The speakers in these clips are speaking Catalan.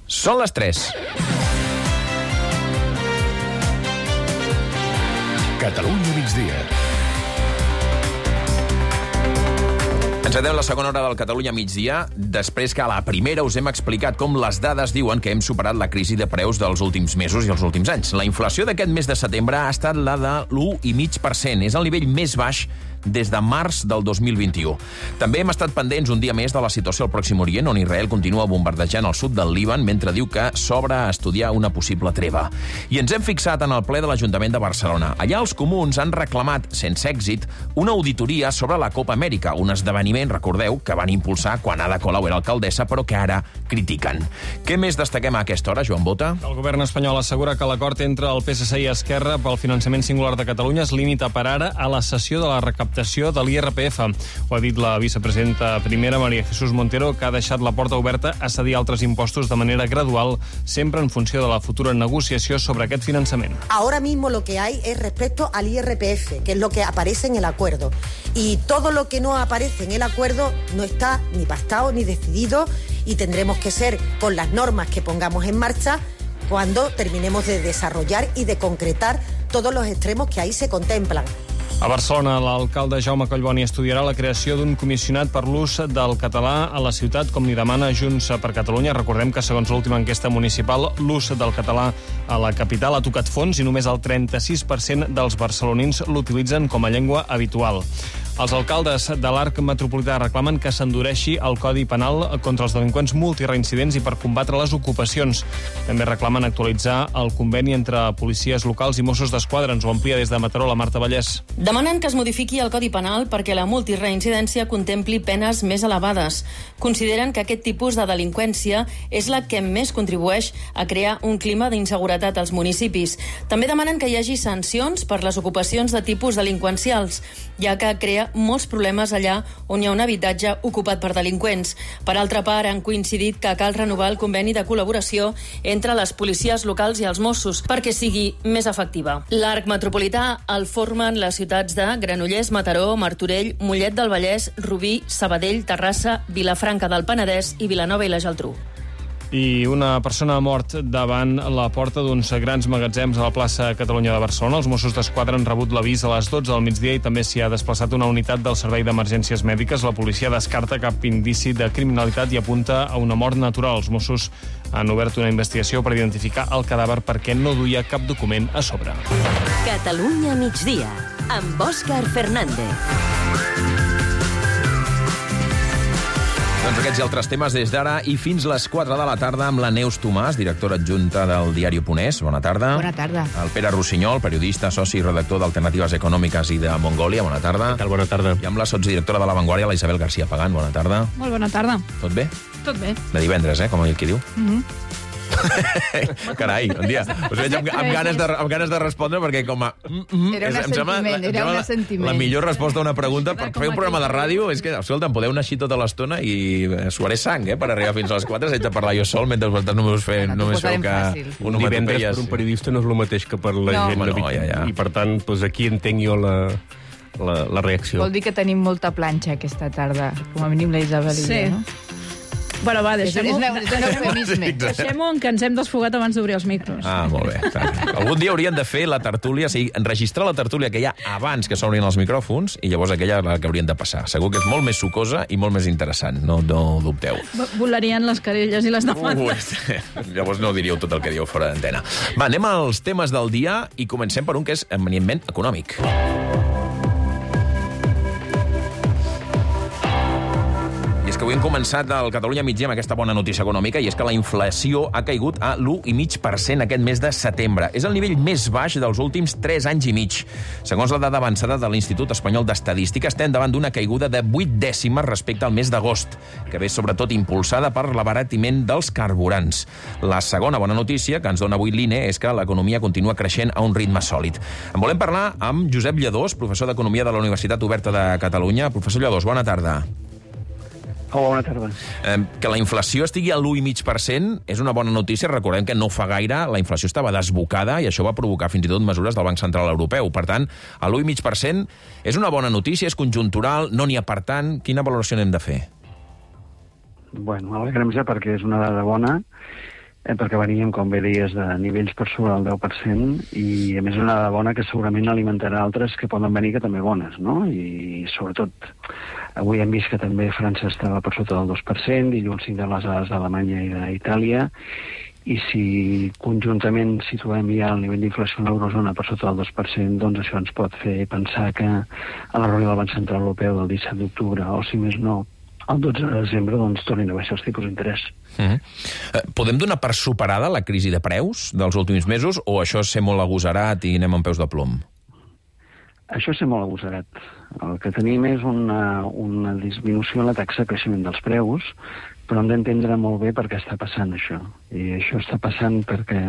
Són les 3. Catalunya migdia. Encetem la segona hora del Catalunya migdia, després que a la primera us hem explicat com les dades diuen que hem superat la crisi de preus dels últims mesos i els últims anys. La inflació d'aquest mes de setembre ha estat la de l'1,5%. És el nivell més baix des de març del 2021. També hem estat pendents un dia més de la situació al Pròxim Orient, on Israel continua bombardejant el sud del Líban mentre diu que s'obre a estudiar una possible treva. I ens hem fixat en el ple de l'Ajuntament de Barcelona. Allà els comuns han reclamat, sense èxit, una auditoria sobre la Copa Amèrica, un esdeveniment, recordeu, que van impulsar quan Ada Colau era alcaldessa, però que ara critiquen. Què més destaquem a aquesta hora, Joan Bota? El govern espanyol assegura que l'acord entre el PSC i Esquerra pel finançament singular de Catalunya es limita per ara a la cessió de la recaptació de l'IRPF. Ho ha dit la vicepresidenta primera, María Jesús Montero, que ha deixat la porta oberta a cedir altres impostos de manera gradual, sempre en funció de la futura negociació sobre aquest finançament. Ahora mismo lo que hay es respecto al IRPF, que es lo que aparece en el acuerdo. Y todo lo que no aparece en el acuerdo no está ni pactado ni decidido y tendremos que ser con las normas que pongamos en marcha cuando terminemos de desarrollar y de concretar todos los extremos que ahí se contemplan. A Barcelona, l'alcalde Jaume Collboni estudiarà la creació d'un comissionat per l'ús del català a la ciutat, com li demana Junts per Catalunya. Recordem que, segons l'última enquesta municipal, l'ús del català a la capital ha tocat fons i només el 36% dels barcelonins l'utilitzen com a llengua habitual. Els alcaldes de l'Arc Metropolità reclamen que s'endureixi el Codi Penal contra els delinqüents multireincidents i per combatre les ocupacions. També reclamen actualitzar el conveni entre policies locals i Mossos d'Esquadra. Ens ho amplia des de Mataró la Marta Vallès. Demanen que es modifiqui el Codi Penal perquè la multireincidència contempli penes més elevades. Consideren que aquest tipus de delinqüència és la que més contribueix a crear un clima d'inseguretat als municipis. També demanen que hi hagi sancions per les ocupacions de tipus delinqüencials, ja que crea molts problemes allà on hi ha un habitatge ocupat per delinqüents. Per altra part, han coincidit que cal renovar el conveni de col·laboració entre les policies locals i els Mossos perquè sigui més efectiva. L'Arc Metropolità el formen les ciutats de Granollers, Mataró, Martorell, Mollet del Vallès, Rubí, Sabadell, Terrassa, Vilafranca del Penedès i Vilanova i la Geltrú. I una persona ha mort davant la porta d'uns grans magatzems a la plaça Catalunya de Barcelona. Els Mossos d'Esquadra han rebut l'avís a les 12 del migdia i també s'hi ha desplaçat una unitat del Servei d'Emergències Mèdiques. La policia descarta cap indici de criminalitat i apunta a una mort natural. Els Mossos han obert una investigació per identificar el cadàver perquè no duia cap document a sobre. Catalunya migdia, amb Òscar Fernández. Doncs aquests i altres temes des d'ara i fins les 4 de la tarda amb la Neus Tomàs, directora adjunta del diari Oponès. Bona tarda. Bona tarda. El Pere Rossinyol, periodista, soci i redactor d'Alternatives Econòmiques i de Mongòlia. Bona tarda. Què tal? Bona tarda. I amb la sotsdirectora de La Vanguardia, la Isabel García Pagán. Bona tarda. Molt bona tarda. Tot bé? Tot bé. De divendres, com qui diu. Carai, un dia. Us veig amb ganes de respondre perquè com a... Era un sentiment. La millor resposta a una pregunta per fer un programa de ràdio és que, escolta, em podeu anar així tota l'estona i suaré sang, per arribar fins a les 4. Haig de parlar jo sol mentre vosaltres només feu que un divendres per un periodista no és el mateix que per la gent habitual. I per tant, doncs aquí entenc jo la reacció. Vol dir que tenim molta planxa aquesta tarda, com a mínim la Isabel i jo, no? Bueno, va, deixem-ho en que ens hem desfogat abans d'obrir els micros. Ah, molt bé. Algun dia haurien de fer la tertúlia, o sigui, enregistrar la tertúlia que hi ha abans que s'obrin els micròfons i llavors aquella la que haurien de passar. Segur que és molt més sucosa i molt més interessant, no dubteu. Volarien les querelles i les demandes. Llavors no diríeu tot el que dieu fora d'antena. Va, anem als temes del dia i comencem per un que és eminentment econòmic. És que avui hem començat el Catalunya migdia amb aquesta bona notícia econòmica i és que la inflació ha caigut a l'1,5% aquest mes de setembre. És el nivell més baix dels últims 3 anys i mig. Segons la dada avançada de l'Institut Espanyol d'Estadística, estem davant d'una caiguda de 8 dècimes respecte al mes d'agost, que ve sobretot impulsada per l'abaratiment dels carburants. La segona bona notícia que ens dona avui l'INE és que l'economia continua creixent a un ritme sòlid. En volem parlar amb Josep Lladós, professor d'Economia de la Universitat Oberta de Catalunya. Professor Lladós, bona tarda. Hola, bona tarda. Que la inflació estigui a l'1,5% és una bona notícia. Recordem que no fa gaire la inflació estava desbocada i això va provocar fins i tot mesures del Banc Central Europeu. Per tant, a l'1,5% és una bona notícia, és conjuntural, no n'hi ha per tant. Quina valoració n'hem de fer? Bueno, alegrem-se perquè és una dada bona perquè veníem, com bé deies, de nivells per sobre del 10%, i a més una dada bona que segurament alimentarà altres que poden venir que també bones, no? I sobretot, avui hem vist que també França estava per sota del 2%, dilluns tindrem les dades d'Alemanya i d'Itàlia, i si conjuntament situem ja el nivell d'inflació en l'eurozona per sota del 2%, doncs això ens pot fer pensar que a la reunió del Banc Central Europeu del 17 d'octubre, o si més no, el 12 de desembre, doncs tornin a baixar els tipus d'interès. Podem donar per superada la crisi de preus dels últims mesos, o això és ser molt agosarat i anem amb peus de plom? Això és ser molt agosarat. El que tenim és una disminució en la taxa de creixement dels preus, però hem d'entendre molt bé per què està passant això. I això està passant perquè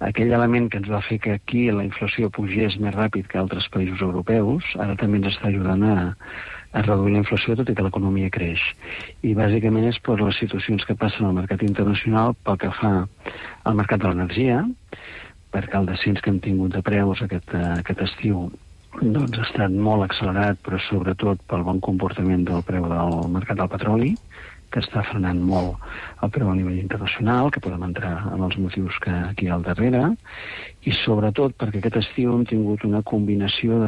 aquell element que ens va fer que aquí la inflació pugés més ràpid que altres països europeus, ara també ens està ajudant a reduir la inflació, tot i que l'economia creix. I bàsicament és per les situacions que passen al mercat internacional pel que fa al mercat de l'energia, perquè el descens que hem tingut de preus aquest estiu doncs ha estat molt accelerat, però sobretot pel bon comportament del preu del mercat del petroli, que està frenant molt el preu a nivell internacional, que podem entrar en els motius que aquí hi ha al darrere, i sobretot perquè aquest estiu hem tingut una combinació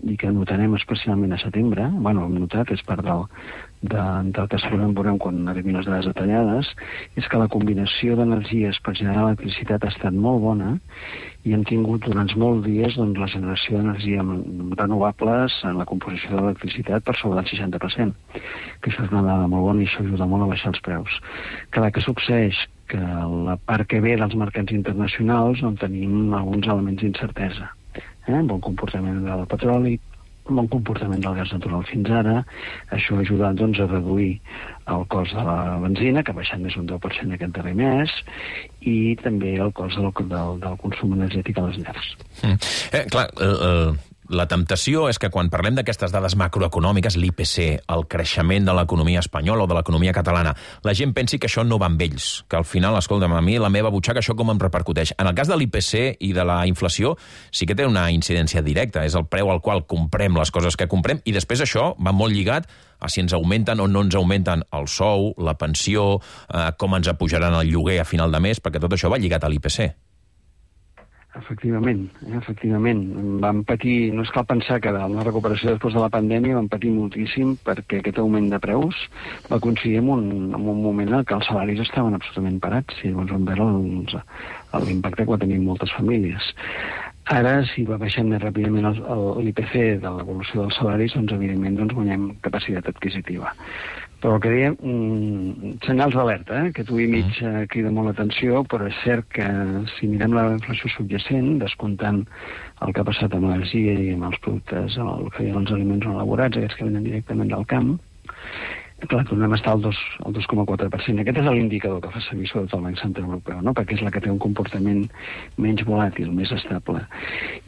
i que notarem especialment a setembre, bueno, hem notat, és part del que segurament veurem quan arribin les dades detallades, és que la combinació d'energies per generar electricitat ha estat molt bona, i hem tingut durant molts dies doncs, la generació d'energia renovables en la composició de l'electricitat per sobre del 60%, que això és una dada molt bona i això ajuda molt a baixar els preus. Clar, què succeeix? Que la part que ve dels mercats internacionals on tenim alguns elements d'incertesa. Bon comportament del petroli, bon comportament del gas natural fins ara, això ha ajudat doncs, a reduir el cost de la benzina, que ha baixat més d'un 10% aquest darrer mes, i també el cost del consum energètic a les llars. Clar, la temptació és que quan parlem d'aquestes dades macroeconòmiques, l'IPC, el creixement de l'economia espanyola o de l'economia catalana, la gent pensi que això no va amb ells, que al final, escolta'm, a mi la meva butxaca això com em repercuteix. En el cas de l'IPC i de la inflació sí que té una incidència directa, és el preu al qual comprem les coses que comprem, i després això va molt lligat a si ens augmenten o no ens augmenten el sou, la pensió, com ens pujaran el lloguer a final de mes, perquè tot això va lligat a l'IPC. Efectivament. Vam patir, no és cal pensar que en la recuperació després de la pandèmia vam patir moltíssim perquè aquest augment de preus va coincidir en un moment en què els salaris estaven absolutament parats i llavors vam veure l'impacte que va tenir moltes famílies. Ara, si va baixant més ràpidament l'IPC de l'evolució dels salaris, doncs evidentment guanyem capacitat adquisitiva. Però el que dèiem, senyals d'alerta, que tu i mig crida molt l'atenció, però és cert que si mirem la inflació subjacent, descomptant el que ha passat amb l'energia i amb els productes, el que hi ha els aliments no elaborats, aquests que venen directament del camp, clar, tornem a estar al 2,4%. Aquest és l'indicador que fa servir sobretot el Banc Central Europeu, no? Perquè és la que té un comportament menys volàtil, més estable.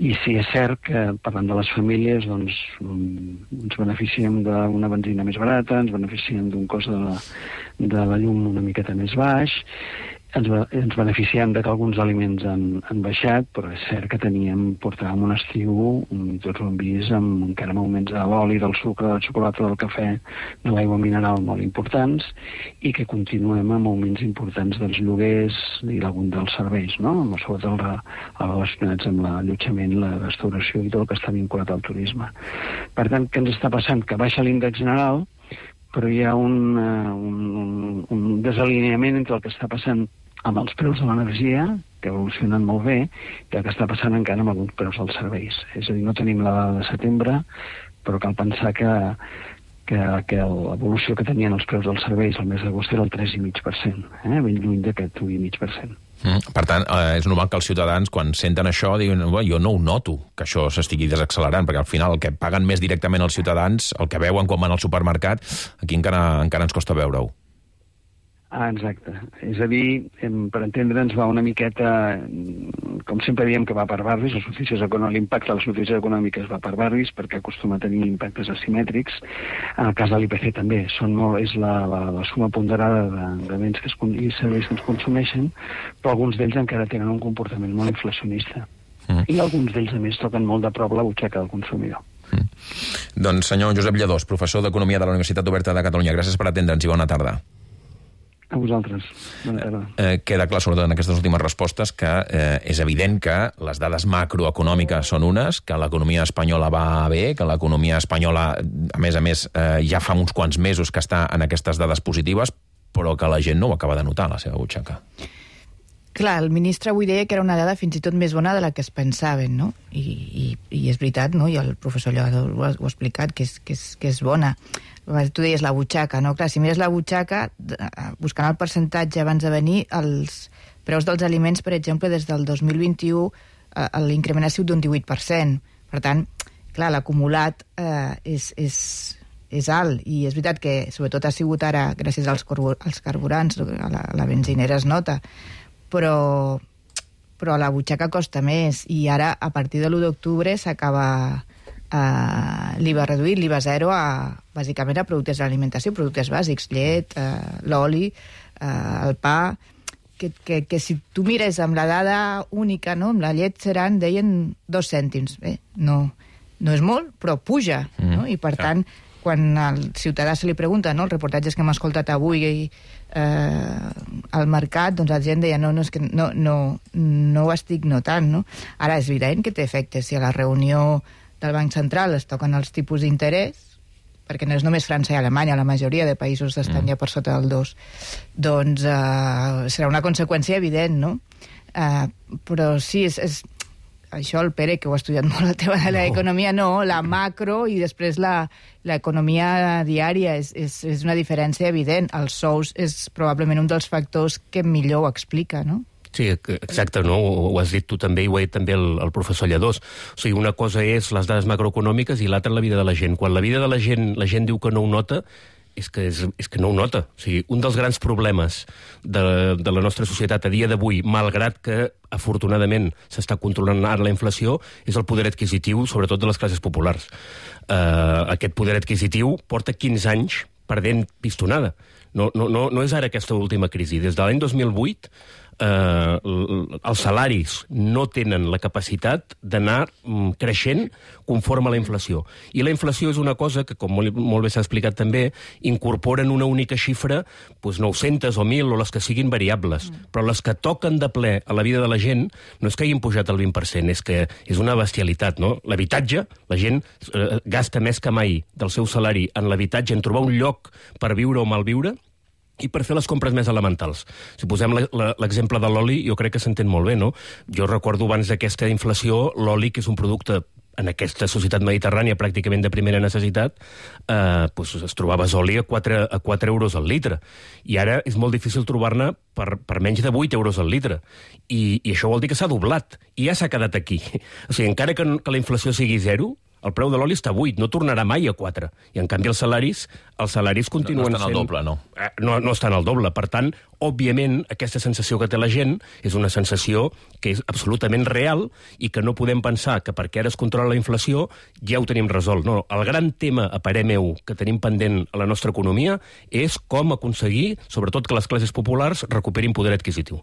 I sí, és cert que, parlant de les famílies, doncs, ens beneficiem d'una benzina més barata, ens beneficiem d'un cost de la llum una miqueta més baix, ens beneficiem que alguns aliments han baixat, però és cert que portàvem un estiu, tots ho hem vist, encara amb augments de l'oli, del sucre, de la xocolata, del cafè, de l'aigua mineral molt importants, i que continuem amb augments importants dels lloguers i d'algun dels serveis, no? Sobretot relacionats amb l'allotjament, la restauració i tot el que està vinculat al turisme. Per tant, què ens està passant? Que baixa l'índex general, però hi ha un desalineament entre el que està passant amb els preus de l'energia, que evolucionen molt bé, i el que està passant encara amb alguns preus dels serveis. És a dir, no tenim la dada de setembre, però cal pensar que l'evolució que tenien els preus dels serveis el mes d'agost era el 3,5%, ben lluny d'aquest 1,5%. Per tant, és normal que els ciutadans, quan senten això, diuen, jo no ho noto, que això s'estigui desaccelerant, perquè al final el que paguen més directament els ciutadans, el que veuen quan van al supermercat, aquí encara ens costa veure-ho. Exacte. És a dir, per entendre'ns, va una miqueta, com sempre diem que va per barris, l'impacte de les notícies econòmiques va per barris perquè acostuma a tenir impactes asimètrics. En el cas de l'IPC també, és la suma ponderada de béns i serveis que es consumeixen, però alguns d'ells encara tenen un comportament molt inflacionista. I alguns d'ells, a més, toquen molt de prop la butxaca del consumidor. Doncs senyor Josep Lladós, professor d'Economia de la Universitat Oberta de Catalunya, gràcies per atendre'ns i bona tarda. A vosaltres. Bona tarda. Queda clar, sobretot en aquestes últimes respostes, que és evident que les dades macroeconòmiques són unes, que l'economia espanyola va bé, que l'economia espanyola, a més, ja fa uns quants mesos que està en aquestes dades positives, però que la gent no ho acaba de notar a la seva butxaca. Clar, el ministre avui deia que era una dada fins i tot més bona de la que es pensaven, no? I és veritat, no? I el professor Lloado ho ha explicat, que és bona. Tu deies la butxaca, no? Clar, si mires la butxaca, buscant el percentatge abans de venir, els preus dels aliments, per exemple, des del 2021, l'increment ha sigut d'un 18%. Per tant, clar, l'acumulat és alt, i és veritat que sobretot ha sigut ara, gràcies als carburants, a la benzinera es nota, però la butxaca costa més, i ara, a partir de l'1 d'octubre, s'acaba l'IVA reduït, l'IVA zero, bàsicament a productes d'alimentació, productes bàsics, llet, l'oli, el pa, que si tu mires amb la dada única, no? Amb la llet seran, deien, 2 cèntims. Bé, no és molt, però puja, no? I per tant, quan al ciutadà se li pregunta, no, els reportatges que hem escoltat avui al mercat, doncs la gent deia és que no ho estic notant, no? Ara és evident que té efectes. Si a la reunió del Banc Central es toquen els tipus d'interès, perquè no és només França i Alemanya, la majoria de països estan ja per sota del 2, doncs serà una conseqüència evident, no? Però sí, és això el Pere, que ho ha estudiat molt, el tema de l'economia, la macro, i després l'economia diària és una diferència evident. Els sous és probablement un dels factors que millor ho explica, no? Sí, exacte, no? Ho has dit tu també, i ho ha dit també el professor Lladós. O sigui, una cosa és les dades macroeconòmiques i l'altra la vida de la gent. Quan la vida de la gent diu que no ho nota, és que no ho nota. O sigui, un dels grans problemes de la nostra societat a dia d'avui, malgrat que afortunadament s'està controlant ara la inflació, és el poder adquisitiu, sobretot de les classes populars. Aquest poder adquisitiu porta 15 anys perdent pistonada. No és ara aquesta última crisi. Des de l'any 2008 els salaris no tenen la capacitat d'anar creixent conforme a la inflació. I la inflació és una cosa que, com molt bé s'ha explicat també, incorpora en una única xifra 900 o 1.000 o les que siguin variables. Però les que toquen de ple a la vida de la gent no és que hagin pujat el 20%, és que és una bestialitat, no? L'habitatge, la gent gasta més que mai del seu salari en l'habitatge, en trobar un lloc per viure o malviure, i per fer les compres més elementals. Si posem l'exemple de l'oli, jo crec que s'entén molt bé, no? Jo recordo abans d'aquesta inflació, l'oli, que és un producte en aquesta societat mediterrània pràcticament de primera necessitat, es trobaves oli a 4 euros al litre. I ara és molt difícil trobar-ne per menys de 8 euros al litre. I això vol dir que s'ha doblat. I ja s'ha quedat aquí. O sigui, encara que la inflació sigui 0, el preu de l'oli està a 8, no tornarà mai a 4. I, en canvi, els salaris continuen sent... No estan al doble, no? No estan al doble. Per tant, òbviament, aquesta sensació que té la gent és una sensació que és absolutament real i que no podem pensar que perquè ara es controla la inflació ja ho tenim resolt. No, el gran tema, a parer meu, que tenim pendent a la nostra economia és com aconseguir, sobretot, que les classes populars recuperin poder adquisitiu.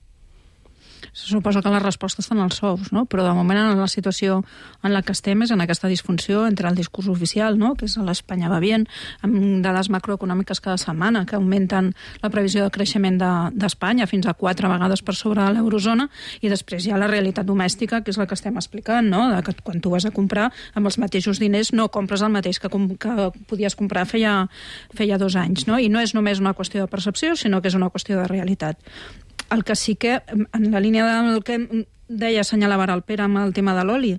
Suposo que la resposta està en els sous, no? Però de moment en la situació en la que estem és en aquesta disfunció entre el discurs oficial, no? Que és l'Espanya va bien, amb dades macroeconòmiques cada setmana que augmenten la previsió de creixement d'Espanya fins a 4 vegades per sobre de l'eurozona, i després hi ha la realitat domèstica, que és la que estem explicant, no? Que quan tu vas a comprar amb els mateixos diners no compres el mateix que podies comprar feia 2 anys, no? I no és només una qüestió de percepció, sinó que és una qüestió de realitat. El que sí que, en la línia del que deia, assenyalava ara el Pere amb el tema de l'oli,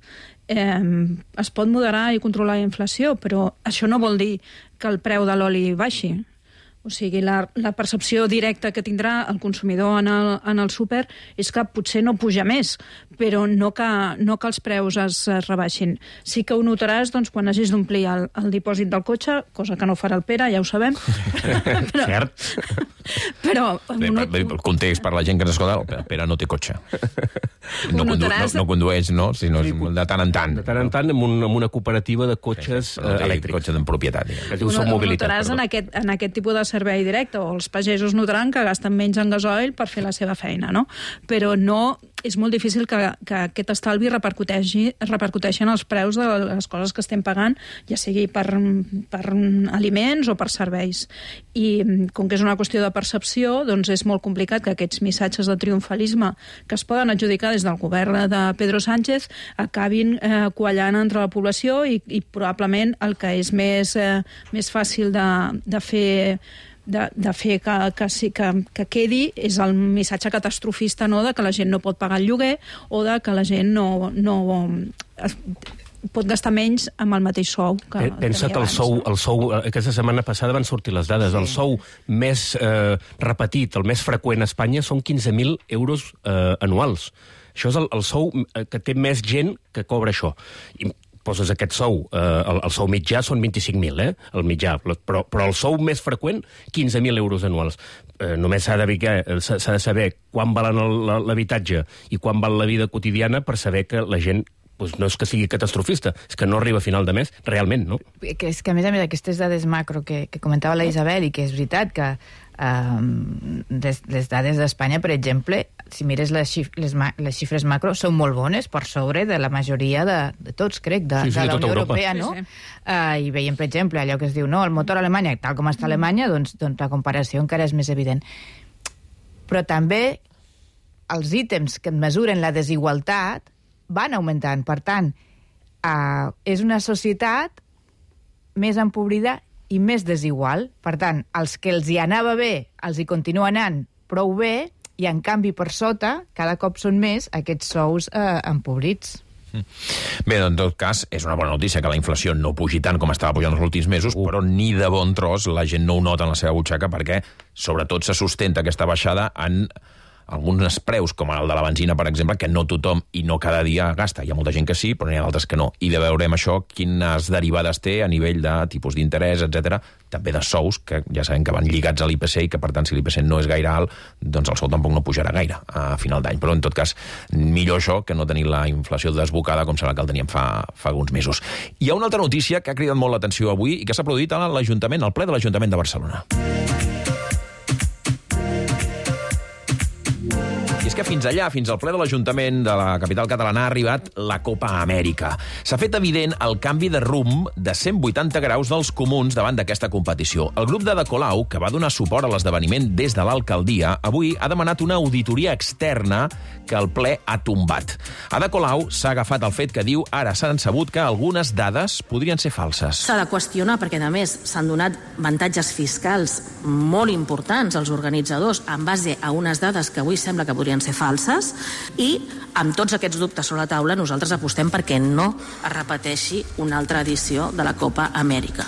es pot moderar i controlar la inflació, però això no vol dir que el preu de l'oli baixi. O sigui, la percepció directa que tindrà el consumidor en el súper és que potser no puja més, però no que els preus es rebaixin. Sí que ho notaràs quan hagis d'omplir el dipòsit del cotxe, cosa que no farà el Pere, ja ho sabem. Cert. Però... El context per la gent que ens escolta, el Pere no té cotxe. No condueix, no? Sinó de tant en tant. De tant en tant, amb una cooperativa de cotxes elèctrics. Cotxes en propietat. Ho notaràs en aquest tipus de servei directe, o els pagesos notaran que gasten menys en gasoil per fer la seva feina, no? Però no és molt difícil que aquest estalvi repercuteixi en els preus de les coses que estem pagant, ja sigui per aliments o per serveis. I com que és una qüestió de percepció, doncs és molt complicat que aquests missatges de triomfalisme que es poden adjudicar des del govern de Pedro Sánchez acabin quallant entre la població i probablement el que és més fàcil de fer que quedi és el missatge catastrofista, no?, de que la gent no pot pagar el lloguer o de que la gent no pot gastar menys amb el mateix sou que pensa que el sou aquesta setmana passada van sortir les dades. El sou més repetit, el més freqüent a Espanya són 15.000 euros anuals. Això és el sou que té més gent que cobra això. I poses aquest sou, el sou mitjà són 25.000, el mitjà, però el sou més freqüent, 15.000 euros anuals. Només s'ha de saber quan valen l'habitatge i quan val la vida quotidiana per saber que la gent no és que sigui catastrofista, és que no arriba a final de mes, realment, no? És que, a més, aquestes dades macro que comentava la Isabel, i que és veritat que les dades d'Espanya, per exemple, si mires les xifres macro, són molt bones, per sobre de la majoria de tots, crec, de la Unió Europea, no? I veiem, per exemple, allò que es diu, no, el motor a Alemanya, tal com està a Alemanya, doncs la comparació encara és més evident. Però també els ítems que mesuren la desigualtat van augmentant. Per tant, és una societat més empobrida i més desigual. Per tant, els que els hi anava bé, els hi continua anant prou bé, i en canvi per sota cada cop són més aquests sous empobrits. Bé, en tot cas, és una bona notícia que la inflació no pugi tant com estava pujant els últims mesos, però ni de bon tros la gent no ho nota en la seva butxaca, perquè sobretot se sustenta aquesta baixada en alguns preus, com el de la benzina, per exemple, que no tothom i no cada dia gasta. Hi ha molta gent que sí, però n'hi ha d'altres que no. I de veurem això, quines derivades té a nivell de tipus d'interès, etc. També de sous, que ja sabem que van lligats a l'IPC i que, per tant, si l'IPC no és gaire alt, doncs el sou tampoc no pujarà gaire a final d'any. Però, en tot cas, millor això que no tenir la inflació desbocada com serà que el teníem fa alguns mesos. Hi ha una altra notícia que ha cridat molt l'atenció avui i que s'ha produït a l'Ajuntament, al ple de l'Ajuntament de Barcelona. I és que fins allà, fins al ple de l'Ajuntament de la capital catalana, ha arribat la Copa Amèrica. S'ha fet evident el canvi de rumb de 180 graus dels comuns davant d'aquesta competició. El grup d'Ada Colau, que va donar suport a l'esdeveniment des de l'alcaldia, avui ha demanat una auditoria externa que el ple ha tombat. Ada Colau s'ha agafat al fet que diu ara s'han sabut que algunes dades podrien ser falses. S'ha de qüestionar perquè, a més, s'han donat avantatges fiscals molt importants als organitzadors en base a unes dades que avui sembla que podrien ser falses, i amb tots aquests dubtes sobre la taula nosaltres apostem perquè no es repeteixi una altra edició de la Copa Amèrica.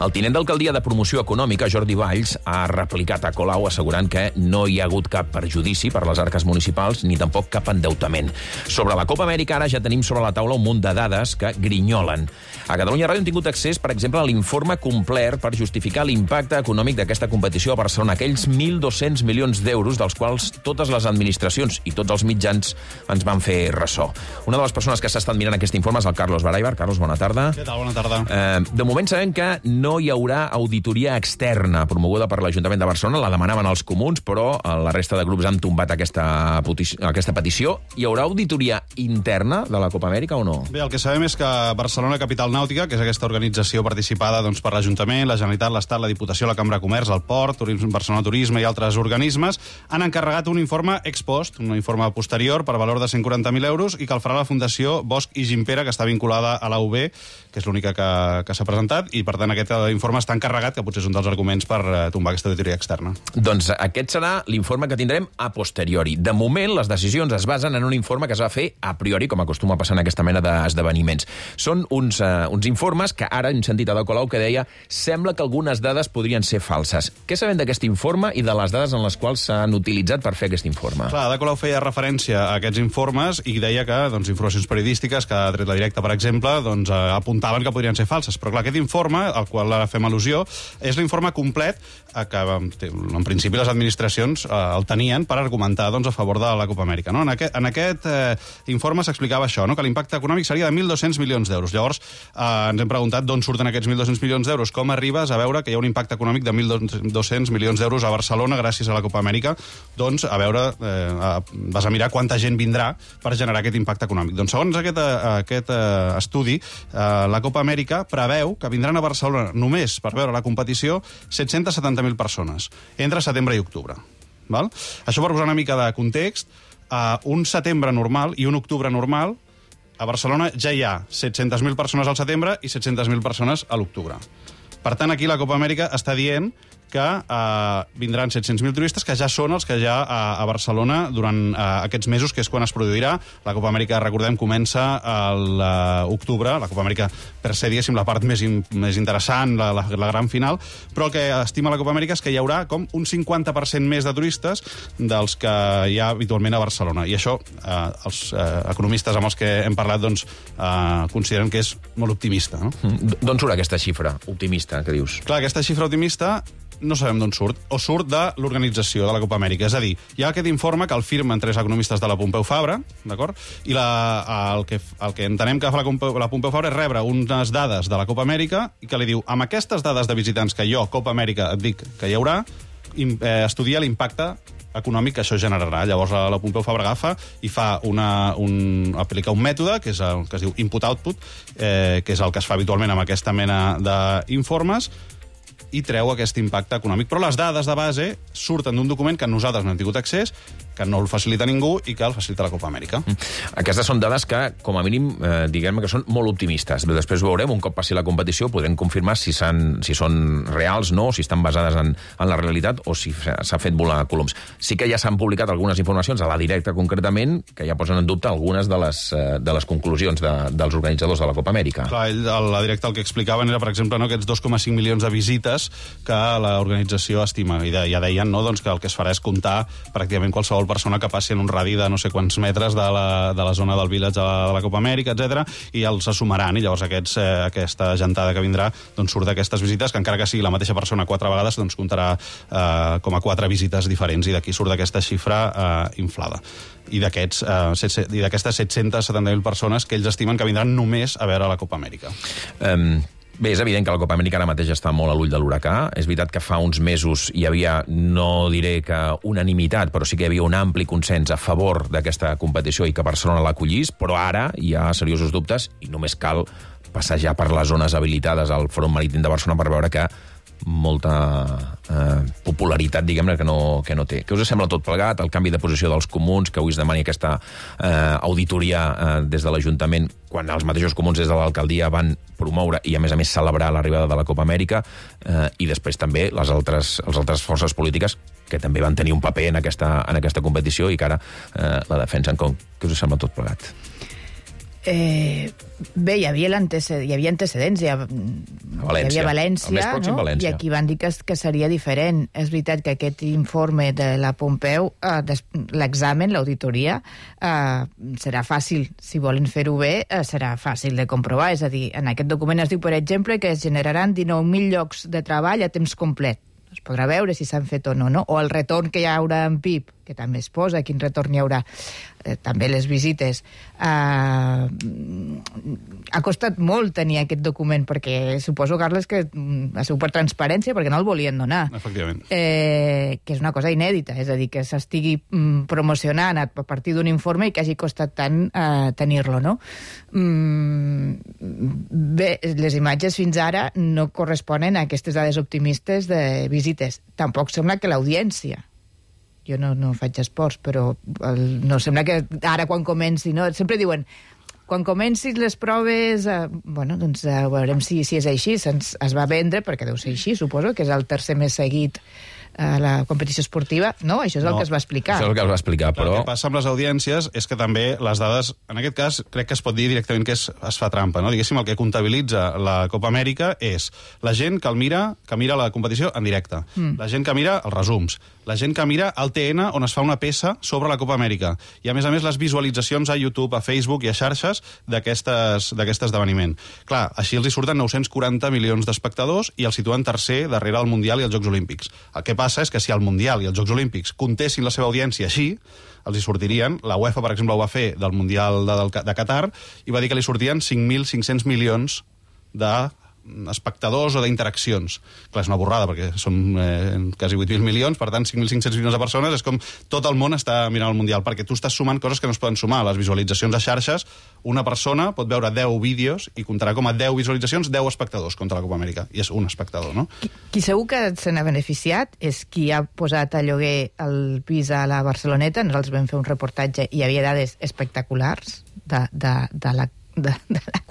El tinent d'alcaldia de Promoció Econòmica, Jordi Valls, ha replicat a Colau assegurant que no hi ha hagut cap perjudici per les arques municipals ni tampoc cap endeutament. Sobre la Copa Amèrica ara ja tenim sobre la taula un munt de dades que grinyolen. A Catalunya Ràdio hem tingut accés, per exemple, a l'informe complet per justificar l'impacte econòmic d'aquesta competició a Barcelona, aquells 1.200 milions d'euros dels quals totes les administracions i tots els mitjans ens van fer ressò. Una de les persones que s'ha estat mirant aquest informe és el Carlos Baraibar. Carlos, bona tarda. Què tal? Bona tarda. De moment sabem que no hi haurà auditoria externa promoguda per l'Ajuntament de Barcelona. La demanaven els comuns, però la resta de grups han tombat aquesta petició. Hi haurà auditoria interna de la Copa Amèrica o no? Bé, el que sabem és que Barcelona Capital Nàutica, que és aquesta organització participada per l'Ajuntament, la Generalitat, l'Estat, la Diputació, la Cambra de Comerç, el Port, Barcelona Turisme i altres organismes, han encarregat un informe ex post, un informe posterior per valor de 140.000 euros, i que el farà la Fundació Bosch i Gimpera, que està vinculada a la UB, que és l'única que s'ha presentat, i per tant aquest informe està encarregat, que potser és un dels arguments per tombar aquesta auditoria externa. Doncs aquest serà l'informe que tindrem a posteriori. De moment, les decisions es basen en un informe que es va fer a priori, com acostuma a passar en aquesta mena d'esdeveniments. Són uns informes que ara hem sentit a Ada Colau que deia sembla que algunes dades podrien ser falses. Què sabem d'aquest informe i de les dades en les quals s'han utilitzat per fer aquest informe? Clar, Ada Colau feia referència a aquests informes i deia que informacions periodístiques que ha tret la Directa, per exemple, apuntaven que podrien ser falses. Però clar, aquest informe, qual ara fem al·lusió, és l'informe complet que en principi les administracions el tenien per argumentar a favor de la Copa Amèrica. No? En aquest informe s'explicava això, no? Que l'impacte econòmic seria de 1.200 milions d'euros. Llavors ens hem preguntat d'on surten aquests 1.200 milions d'euros, com arribes a veure que hi ha un impacte econòmic de 1.200 milions d'euros a Barcelona gràcies a la Copa Amèrica. Doncs, a veure, vas a mirar quanta gent vindrà per generar aquest impacte econòmic. Doncs, segons aquest estudi, la Copa Amèrica preveu que vindran a Barcelona només per veure la competició 770.000 persones entre setembre i octubre. Val? Això per posar una mica de context, un setembre normal i un octubre normal, a Barcelona ja hi ha 700.000 persones al setembre i 700.000 persones a l'octubre. Per tant, aquí la Copa Amèrica està dient que vindran 700.000 turistes, que ja són els que hi ha a Barcelona durant aquests mesos, que és quan es produirà. La Copa Amèrica, recordem, comença a l'octubre. La Copa Amèrica, per ser, diguéssim, la part més interessant, la gran final, però el que estima la Copa Amèrica és que hi haurà com un 50% més de turistes dels que hi ha habitualment a Barcelona. I això, els economistes amb els que hem parlat, doncs, consideren que és molt optimista. No? D'on surt aquesta xifra optimista que dius? Clar, aquesta xifra optimista no sabem d'on surt, o surt de l'organització de la Copa Amèrica. És a dir, hi ha aquest informe que el firmen tres economistes de la Pompeu Fabra, d'acord? I el que entenem que fa la Pompeu Fabra és rebre unes dades de la Copa Amèrica i que li diu, amb aquestes dades de visitants que jo, Copa Amèrica, et dic que hi haurà, estudia l'impacte econòmic que això generarà. Llavors la Pompeu Fabra agafa i fa aplica un mètode que es diu input-output, que és el que es fa habitualment amb aquesta mena d'informes, i treu aquest impacte econòmic. Però les dades de base surten d'un document que nosaltres no hem tingut accés, que no el facilita ningú i que el facilita la Copa Amèrica. Aquestes són dades que, com a mínim, diguem que són molt optimistes. Després ho veurem, un cop passi la competició, podrem confirmar si són reals, no, si estan basades en la realitat o si s'ha fet volar coloms. Sí que ja s'han publicat algunes informacions, a la directa concretament, que ja posen en dubte algunes de les conclusions dels organitzadors de la Copa Amèrica. Clar, a la directa el que explicaven era, per exemple, aquests 2,5 milions de visites que l'organització estima. I ja deien que el que es farà és comptar pràcticament qualsevol persona que passi en un radi de no sé quants metres de la zona del village de la Copa Amèrica, etc. I els assumaran, i llavors aquesta gentada que vindrà surt d'aquestes visites, que encara que sigui la mateixa persona 4 vegades, comptarà com a 4 visites diferents, i d'aquí surt aquesta xifra inflada. I d'aquestes 770.000 persones que ells estimen que vindran només a veure la Copa Amèrica. Bé, és evident que la Copa Amèrica ara mateix està molt a l'ull de l'huracà. És veritat que fa uns mesos hi havia, no diré que unanimitat, però sí que hi havia un ampli consens a favor d'aquesta competició i que Barcelona l'acollís, però ara hi ha seriosos dubtes i només cal passejar per les zones habilitades al Front Marítim de Barcelona per veure que molta popularitat, diguem-ne, que no té. Què us sembla tot plegat? El canvi de posició dels comuns, que avui es demani aquesta auditoria des de l'Ajuntament, quan els mateixos comuns des de l'alcaldia van promoure i, a més celebrar l'arribada de la Copa Amèrica, i després també les altres forces polítiques que també van tenir un paper en aquesta competició i que ara la defensen. Què us sembla tot plegat? Bé, hi havia antecedents, hi havia València, no? València. I aquí van dir que seria diferent. És veritat que aquest informe de la Pompeu, l'examen, l'auditoria, serà fàcil, si volen fer-ho bé, serà fàcil de comprovar. És a dir, en aquest document es diu, per exemple, que es generaran 19.000 llocs de treball a temps complet. Es podrà veure si s'han fet o no, o el retorn que hi haurà en PIB, que també es posa, quin retorn hi haurà, també les visites. Ha costat molt tenir aquest document, perquè suposo, Carles, que ha sigut per transparència, perquè no el volien donar. Efectivament. Que és una cosa inèdita, és a dir, que s'estigui promocionant a partir d'un informe i que hagi costat tant tenir-lo, no? Bé, les imatges fins ara no corresponen a aquestes dades optimistes de visites. Tampoc sembla que l'audiència, jo no faig esports, però no sembla que ara quan comenci, no? Sempre diuen, quan comencin les proves, doncs veurem si és així. Es va vendre, perquè deu ser així, suposo, que és el tercer més seguit la competició esportiva. No, això és el que es va explicar. Això és el que es va explicar, però... El que passa amb les audiències és que també les dades, en aquest cas, crec que es pot dir directament que es fa trampa, no? Diguéssim, el que comptabilitza la Copa Amèrica és la gent que mira la competició en directe, la gent que mira els resums, la gent que mira el TN on es fa una peça sobre la Copa Amèrica, i a més les visualitzacions a YouTube, a Facebook i a xarxes d'aquest esdeveniment. Clar, així els hi surten 940 milions d'espectadors i el situen tercer darrere el Mundial i els Jocs Olímpics. El que passa és que si el Mundial i els Jocs Olímpics comptessin la seva audiència així, els hi sortirien, la UEFA, per exemple, ho va fer del Mundial de Qatar, i va dir que li sortien 5.500 milions d'espectadors o d'interaccions. Clar, és una borrada, perquè són quasi 8.000 milions, per tant, 5.500 milions de persones, és com tot el món està mirant el Mundial, perquè tu estàs sumant coses que no es poden sumar. Les visualitzacions a xarxes, una persona pot veure 10 vídeos i comptarà com a 10 visualitzacions 10 espectadors contra la Copa Amèrica, i és un espectador, no? Qui segur que se n'ha beneficiat és qui ha posat a lloguer el pis a la Barceloneta. Nosaltres vam fer un reportatge i hi havia dades espectaculars de la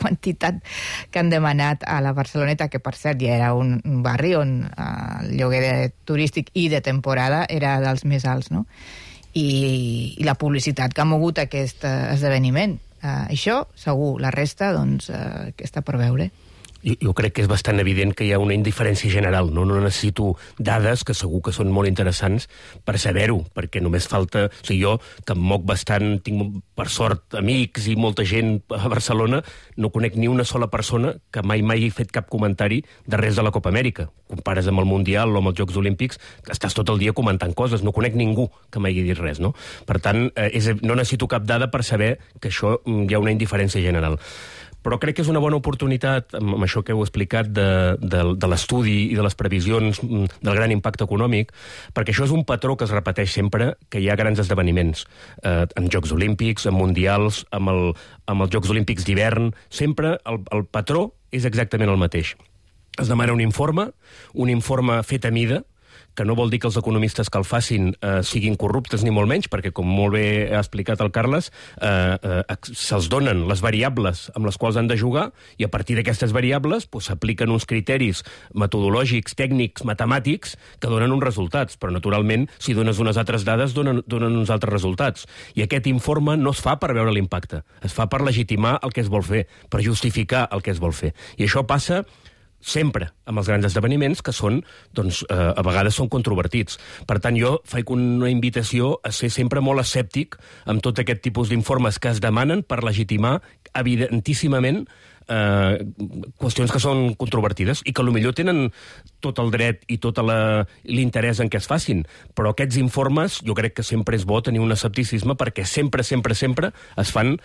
quantitat que han demanat a la Barceloneta, que per cert ja era un barri on el lloguer turístic i de temporada era dels més alts, no? I la publicitat que ha mogut aquest esdeveniment. Això, segur. La resta, doncs, que està per veure. Jo crec que és bastant evident que hi ha una indiferència general. No necessito dades, que segur que són molt interessants, per saber-ho, perquè només falta... O sigui, jo, que em moc bastant, tinc, per sort, amics i molta gent a Barcelona, no conec ni una sola persona que mai he fet cap comentari de res de la Copa Amèrica. Compares amb el Mundial o amb els Jocs Olímpics, que estàs tot el dia comentant coses. No conec ningú que m'hagi dit res, no? Per tant, no necessito cap dada per saber que això hi ha una indiferència general. Però crec que és una bona oportunitat, amb això que heu explicat, de l'estudi i de les previsions del gran impacte econòmic, perquè això és un patró que es repeteix sempre, que hi ha grans esdeveniments, en Jocs Olímpics, en Mundials, amb els Jocs Olímpics d'hivern. Sempre el patró és exactament el mateix. Es demana un informe fet a mida, que no vol dir que els economistes que el facin siguin corruptes ni molt menys, perquè, com molt bé ha explicat el Carles, se'ls donen les variables amb les quals han de jugar, i a partir d'aquestes variables s'apliquen uns criteris metodològics, tècnics, matemàtics, que donen uns resultats. Però, naturalment, si dones unes altres dades, donen uns altres resultats. I aquest informe no es fa per veure l'impacte, es fa per legitimar el que es vol fer, per justificar el que es vol fer. I això passa sempre amb els grans esdeveniments, que són, doncs, a vegades són controvertits. Per tant, jo faig una invitació a ser sempre molt escèptic amb tot aquest tipus d'informes que es demanen per legitimar evidentíssimament qüestions que són controvertides i que potser tenen tot el dret i tot l'interès en què es facin. Però aquests informes, jo crec que sempre és bo tenir un escepticisme, perquè sempre es fan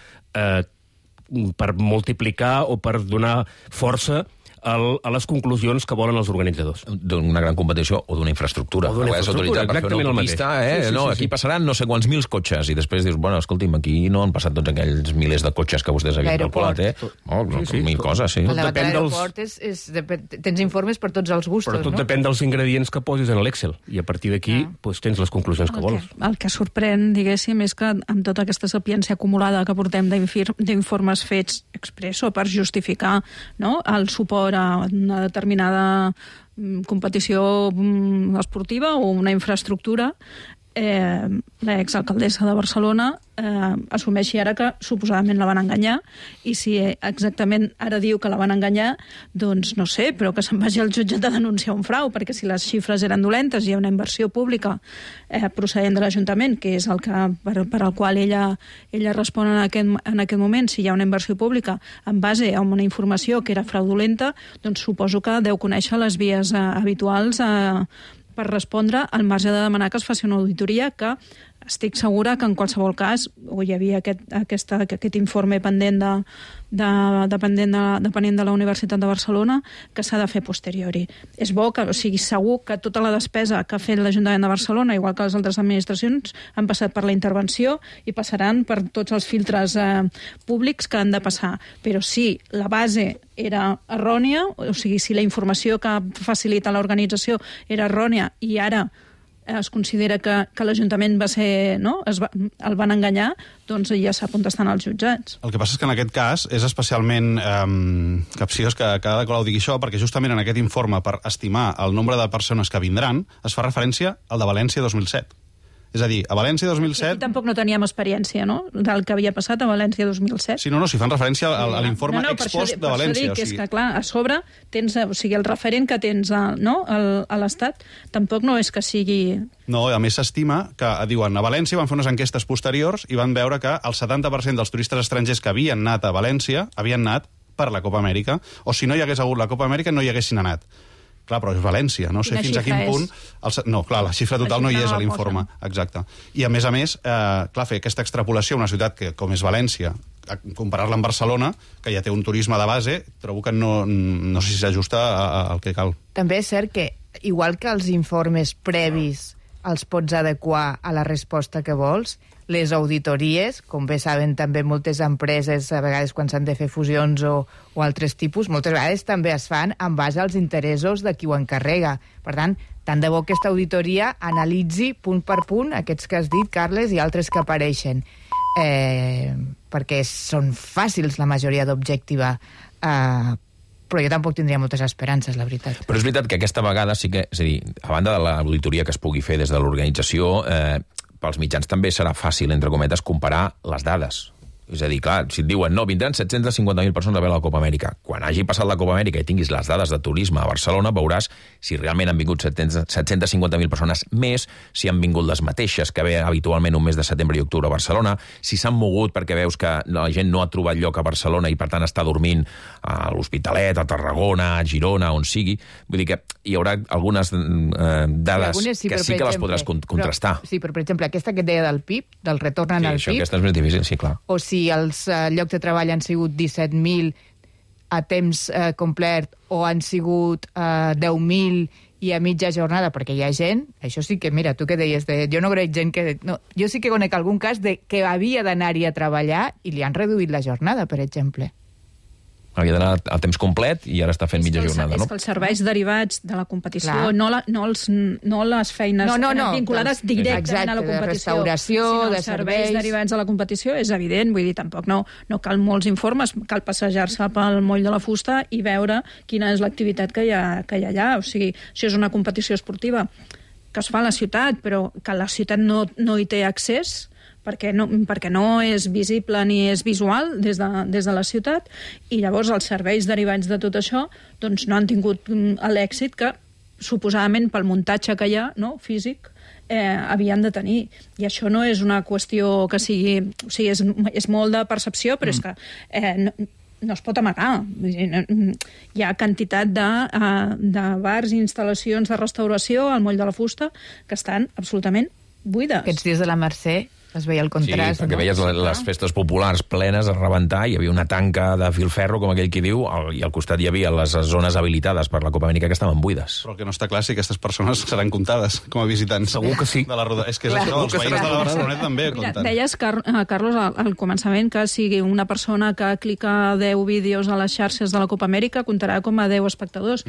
per multiplicar o per donar força a les conclusions que volen els organitzadors. D'una gran competició o d'una infraestructura. O d'una infraestructura, exactament el mateix. Aquí passaran no sé quants mils cotxes, i després dius, bueno, escolti'm, aquí no han passat tots aquells milers de cotxes que vostès havien calculat, mil coses, sí. A l'aeroport tens informes per tots els gustos, no? Però tot depèn dels ingredients que posis en l'Excel, i a partir d'aquí tens les conclusions que vols. El que sorprèn, diguéssim, és que amb tota aquesta sapiència acumulada que portem d'informes fets expresso per justificar el suport a una determinada competició esportiva o una infraestructura, l'exalcaldessa de Barcelona assumeixi ara que suposadament la van enganyar, i si exactament ara diu que la van enganyar, doncs no sé, però que se'n vagi al jutjat a denunciar un frau, perquè si les xifres eren dolentes i hi ha una inversió pública procedent de l'Ajuntament, que és el que per al qual ella respon en aquest moment, si hi ha una inversió pública en base a una informació que era fraudulenta, doncs suposo que deu conèixer les vies habituals per respondre, al marge de demanar que es faci una auditoria, que estic segura que en qualsevol cas hi havia aquest informe pendent depenent de la Universitat de Barcelona, que s'ha de fer posteriori. És bo que, o sigui, segur que tota la despesa que ha fet l'Ajuntament de Barcelona, igual que les altres administracions, han passat per la intervenció i passaran per tots els filtres públics que han de passar. Però si la base era errònia, o sigui, si la informació que facilita l'organització era errònia i ara es considera que l'Ajuntament va ser, no? El van enganyar, doncs ja s'ha contestant als jutjats. El que passa és que en aquest cas és especialment capciós que cada Colau digui això, perquè justament en aquest informe, per estimar el nombre de persones que vindran, es fa referència al de València 2007. És a dir, a València 2007... Aquí tampoc no teníem experiència, no?, del que havia passat a València 2007. Sí, no, si fan referència a l'informe ex post de València. Per això dic, és que, clar, a sobre tens, o sigui, el referent que tens a l'Estat tampoc no és que sigui... No, a més s'estima que, diuen, a València van fer unes enquestes posteriors i van veure que el 70% dels turistes estrangers que havien anat a València havien anat per la Copa Amèrica, o si no hi hagués hagut la Copa Amèrica no hi haguessin anat. Clar, però és València, no sé fins a quin punt... No, clar, la xifra total no hi és a l'informe. Exacte. I a més, clar, fer aquesta extrapolació a una ciutat que, com és València, comparar-la amb Barcelona, que ja té un turisme de base, trobo que no sé si s'ajusta al que cal. També és cert que, igual que els informes previs els pots adequar a la resposta que vols, les auditories, com bé saben també moltes empreses, a vegades quan s'han de fer fusions o altres tipus, moltes vegades també es fan en base als interessos de qui ho encarrega. Per tant, tant de bo aquesta auditoria analitzi punt per punt aquests que has dit, Carles, i altres que apareixen. Perquè són fàcils la majoria d'objectivar, però jo tampoc tindria moltes esperances, la veritat. Però és veritat que aquesta vegada sí que, és a dir, a banda de l'auditoria que es pugui fer des de l'organització, pels mitjans també serà fàcil, entre cometes, comparar les dades. És a dir, clar, si et diuen, no, vindran 750.000 persones a veure la Copa Amèrica. Quan hagi passat la Copa Amèrica i tinguis les dades de turisme a Barcelona, veuràs si realment han vingut 750.000 persones més, si han vingut les mateixes que ve habitualment un mes de setembre i octubre a Barcelona, si s'han mogut perquè veus que la gent no ha trobat lloc a Barcelona i, per tant, està dormint a l'Hospitalet, a Tarragona, a Girona, on sigui. Vull dir que hi haurà algunes dades que sí que les podràs contrastar. Sí, però, per exemple, aquesta que et deia del PIB, del retorn al PIB... Sí, aquesta és més difícil, sí, clar. O si els llocs de treball han sigut 17.000 a temps complet o han sigut 10.000 i a mitja jornada, perquè hi ha gent, això sí que, mira, tu que deies, jo no conec gent que... No, jo sí que conec algun cas que havia d'anar-hi a treballar i li han reduït la jornada, per exemple. Havia d'anar a temps complet i ara està fent mitja jornada, no? És que els serveis derivats de la competició, no les feines vinculades directament a la competició, de restauració, sinó de els serveis derivats de la competició, és evident, vull dir, tampoc no cal molts informes, cal passejar-se pel moll de la fusta i veure quina és l'activitat que hi ha allà. O sigui, això és una competició esportiva que es fa a la ciutat, però que la ciutat no hi té accés, perquè no és visible ni és visual des de la ciutat, i llavors els serveis derivats de tot això doncs no han tingut l'èxit que suposadament pel muntatge que hi ha, no, físic, havien de tenir. I això no és una qüestió que sigui... O sigui, és molt de percepció, però és que no es pot amagar. Hi ha quantitat de bars i instal·lacions de restauració al moll de la fusta que estan absolutament buides. Aquests dies de la Mercè es veia el contrast. Sí, perquè veies les festes populars plenes a rebentar, hi havia una tanca de filferro, com aquell qui diu, i al costat hi havia les zones habilitades per la Copa Amèrica que estaven buides. Però el que no està clar si aquestes persones seran comptades com a visitants. Segur que sí. De la roda. És que és això, els veïns de la Barceloneta també compten. Deies, Carlos, al començament, que sigui una persona que clica 10 vídeos a les xarxes de la Copa Amèrica comptarà com a 10 espectadors.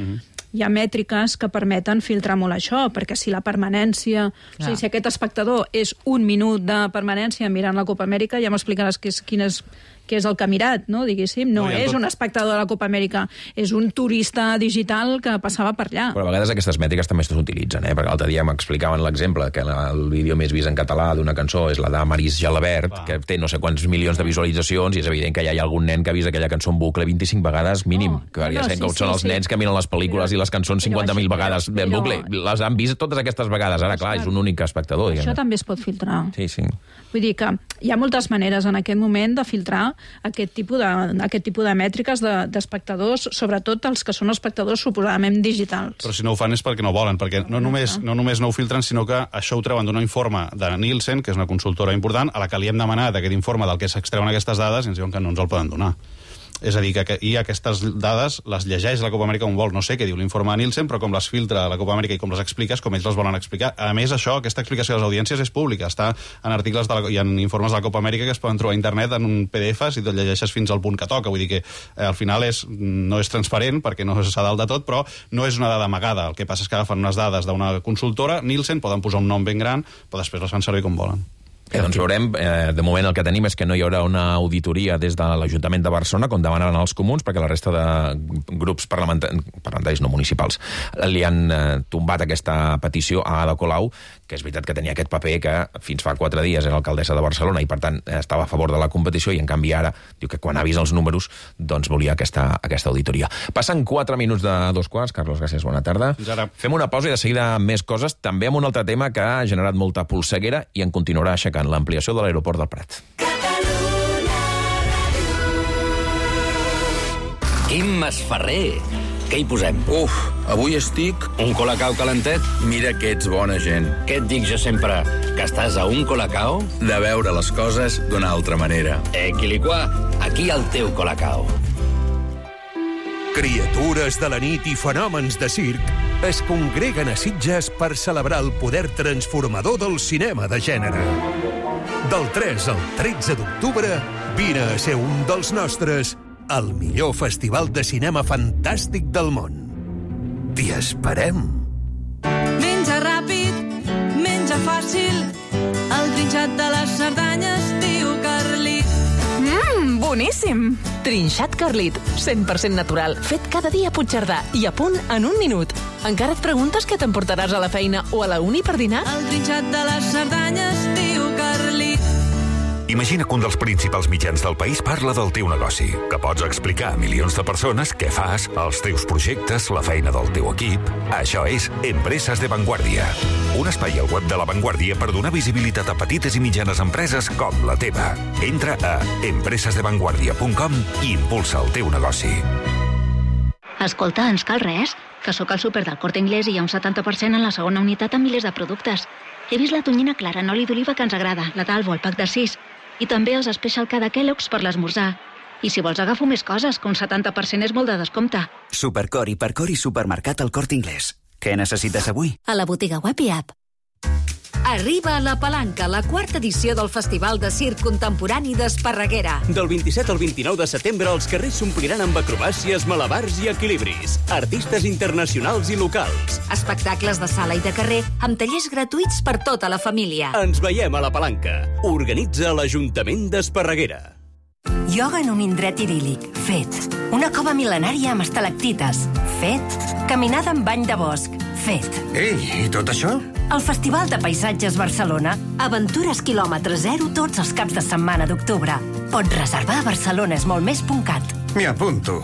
Hi ha mètriques que permeten filtrar molt això, perquè si la permanència... O sigui, si aquest espectador és un minut de permanència mirant la Copa Amèrica, ja m'explicaràs quin és el que ha mirat, no, diguéssim. No és un espectador de la Copa Amèrica, és un turista digital que passava per allà. Però a vegades aquestes mètriques també s'utilitzen, perquè l'altre dia m'explicaven l'exemple que el vídeo més vist en català d'una cançó és la de Maris Jalabert, que té no sé quants milions de visualitzacions, i és evident que ja hi ha algun nen que ha vist aquella cançó en bucle 25 vegades mínim. Que ja sabem que són els nens que miren les pel·lícules i les cançons 50.000 vegades en bucle. Les han vist totes aquestes vegades. Ara, clar, és un únic espectador. Això també es pot filtrar. Sí. Vull dir que hi ha moltes maneres en aquest moment de filtrar aquest tipus de mètriques d'espectadors, sobretot els que són espectadors suposadament digitals. Però si no ho fan és perquè no volen, perquè no només no ho filtren, sinó que això ho treuen d'un informe de Nielsen, que és una consultora important, a la que li hem demanat aquest informe del que s'extreuen aquestes dades i ens diuen que no ens el poden donar. És a dir, i aquestes dades les llegeix la Copa Amèrica on vol. No sé què diu l'informe de Nielsen, però com les filtra la Copa Amèrica i com les expliques, com ells les volen explicar. A més, aquesta explicació de les audiències és pública. Està en articles i en informes de la Copa Amèrica que es poden trobar a internet en un PDF si te'l llegeixes fins al punt que toca. Vull dir que al final no és transparent perquè no s'ha dalt de tot, però no és una dada amagada. El que passa és que agafen unes dades d'una consultora, Nielsen, poden posar un nom ben gran, però després les fan servir com volen. Doncs veurem, de moment el que tenim és que no hi haurà una auditoria des de l'Ajuntament de Barcelona, com demanaven els comuns, perquè la resta de grups parlamentaris no municipals li han tombat aquesta petició a Ada Colau, que és veritat que tenia aquest paper que fins fa 4 dies era alcaldessa de Barcelona i per tant estava a favor de la competició i en canvi ara diu que quan ha vist els números doncs volia aquesta auditoria. Passen 4 minuts de 2:15. Carlos, gràcies, bona tarda. Fem una pausa i de seguida més coses, també amb un altre tema que ha generat molta polseguera i en continuarà aixecant, l'ampliació de l'aeroport del Prat. Quim Masferrer, què hi posem? Avui estic... Un colacao calentet? Mira que ets bona gent. Què et dic jo sempre? Que estàs a un colacao? De veure les coses d'una altra manera. Quiliquà, aquí el teu colacao. Criatures de la nit i fenòmens de circ es congreguen a Sitges per celebrar el poder transformador del cinema de gènere. Del 3 al 13 d'octubre, vine a ser un dels nostres al millor festival de cinema fantàstic del món. T'hi esperem. Menja ràpid, menja fàcil, el trinxat de les Cerdanyes diu Carlit. Boníssim! Trinxat Carlit, 100% natural, fet cada dia a Puigcerdà i a punt en un minut. Encara et preguntes què t'emportaràs a la feina o a la uni per dinar? El trinxat de les Cerdanyes diu Carlit. Imagina que un dels principals mitjans del país parla del teu negoci, que pots explicar a milions de persones què fas, els teus projectes, la feina del teu equip. Això és Empreses de Vanguardia, un espai al web de La Vanguardia per donar visibilitat a petites i mitjanes empreses com la teva. Entra a empresesdevanguardia.com i impulsa el teu negoci. Escolta, ens cal res? Que sóc al súper del Corte Inglés i hi ha un 70% en la segona unitat amb milers de productes. He vist la tonyina clara en oli d'oliva que ens agrada, la d'Albo, el pack de 6, i també els Special K de Kellogg's per l'esmorzar. I si vols agafo més coses, que un 70% és molt de descompte. Supercor, Hipercor i Supermercat al Corte Inglés. Què necessites avui? A la botiga web i app. Arriba a La Palanca, la 4ª edició del Festival de Circ Contemporani d'Esparreguera. Del 27 al 29 de setembre, els carrers s'ompliran amb acrobàcies, malabars i equilibris. Artistes internacionals i locals. Espectacles de sala i de carrer, amb tallers gratuïts per tota la família. Ens veiem a La Palanca. Organitza l'Ajuntament d'Esparreguera. Ioga en un indret idíl·lic. Fet. Una cova mil·lenària amb estalactites. Fet. Caminada en bany de bosc. Fet. Ei, i tot això? El Festival de Paisatges Barcelona. Aventures quilòmetre zero tots els caps de setmana d'octubre. Pots reservar a barcelonesmolmés.cat. Me apunto.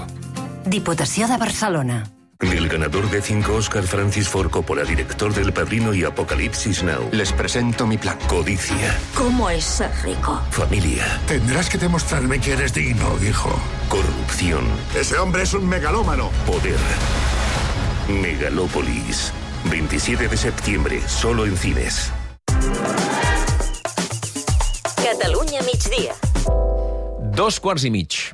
Diputació de Barcelona. El ganador de 5 Oscar, Francis Ford Coppola, director del Padrino y Apocalipsis Now. Les presento mi plan. Codicia. ¿Cómo es ser rico? Familia. Tendrás que demostrarme que eres digno, hijo. Corrupción. Ese hombre es un megalómano. Poder. Megalópolis. 27 de septiembre, solo en cines. Catalunya migdia. 2:15.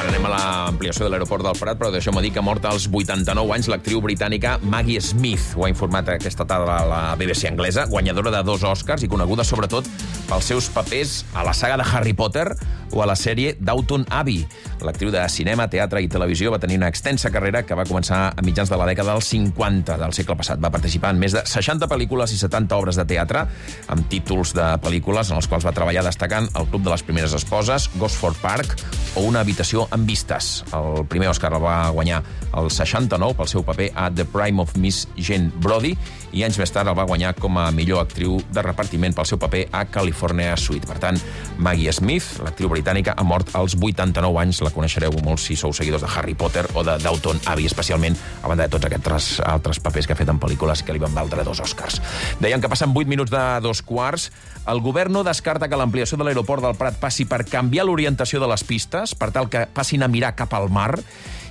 Anem a l'ampliació de l'aeroport del Prat, però deixeu-me dir que ha mort als 89 anys l'actriu britànica Maggie Smith. Ho ha informat aquesta tarda la BBC anglesa, guanyadora de 2 Oscars i coneguda sobretot pels seus papers a la saga de Harry Potter o a la sèrie Downton Abbey. L'actriu de cinema, teatre i televisió va tenir una extensa carrera que va començar a mitjans de la dècada dels 50 del segle passat. Va participar en més de 60 pel·lícules i 70 obres de teatre, amb títols de pel·lícules en els quals va treballar destacant El club de les primeres esposes, Gosford Park o Una habitació amb vistes. El primer Oscar el va guanyar el 69 pel seu paper a The Prime of Miss Jane Brody i anys més tard el va guanyar com a millor actriu de repartiment pel seu paper a California Suite. Per tant, Maggie Smith, l'actriu britànica, ha mort als 89 anys. La coneixereu molts si sou seguidors de Harry Potter o de Downton Abbey, especialment a banda de tots aquests altres papers que ha fet en pel·lícules que li van valdre 2 Oscars. Deien que passen 8 minuts de 2:15. El govern no descarta que l'ampliació de l'aeroport del Prat passi per canviar l'orientació de les pistes, per tal que passin a mirar cap al mar,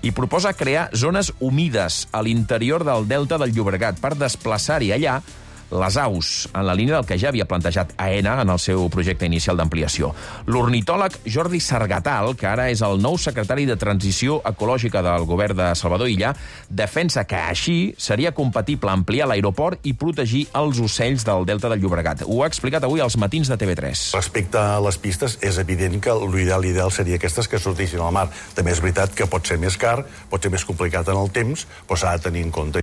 i proposa crear zones humides a l'interior del delta del Llobregat per desplaçar-hi allà les aus, en la línia del que ja havia plantejat AENA en el seu projecte inicial d'ampliació. L'ornitòleg Jordi Sargatal, que ara és el nou secretari de Transició Ecològica del govern de Salvador Illa, defensa que així seria compatible ampliar l'aeroport i protegir els ocells del Delta del Llobregat. Ho ha explicat avui als matins de TV3. Respecte a les pistes, és evident que l'ideal seria aquestes que sortissin al mar. També és veritat que pot ser més car, pot ser més complicat en el temps, però s'ha de tenir en compte.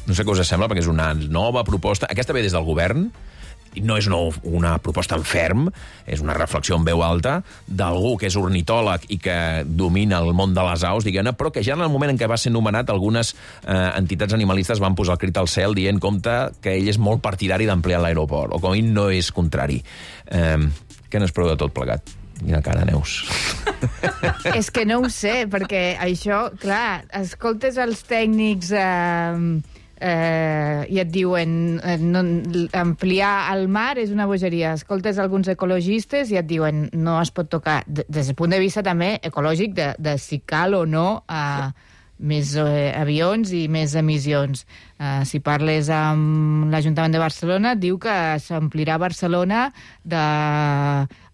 No sé què us sembla, perquè és una nova proposta. Aquesta ve des del govern, no és una proposta en ferm, és una reflexió en veu alta d'algú que és ornitòleg i que domina el món de les aus, diguem-ne, però que ja en el moment en què va ser nomenat algunes entitats animalistes van posar el crit al cel dient compte que ell és molt partidari d'ampliar l'aeroport, o com a mínim no és contrari. Què n'espereu de tot plegat? Quina cara, Neus. És que no ho sé, perquè això, clar, escoltes els tècnics i et diuen ampliar el mar és una bogeria. Escoltes alguns ecologistes i et diuen no es pot tocar. Des del punt de vista també ecològic de si cal o no més avions i més emissions. Si parles amb l'Ajuntament de Barcelona, diu que s'amplirà Barcelona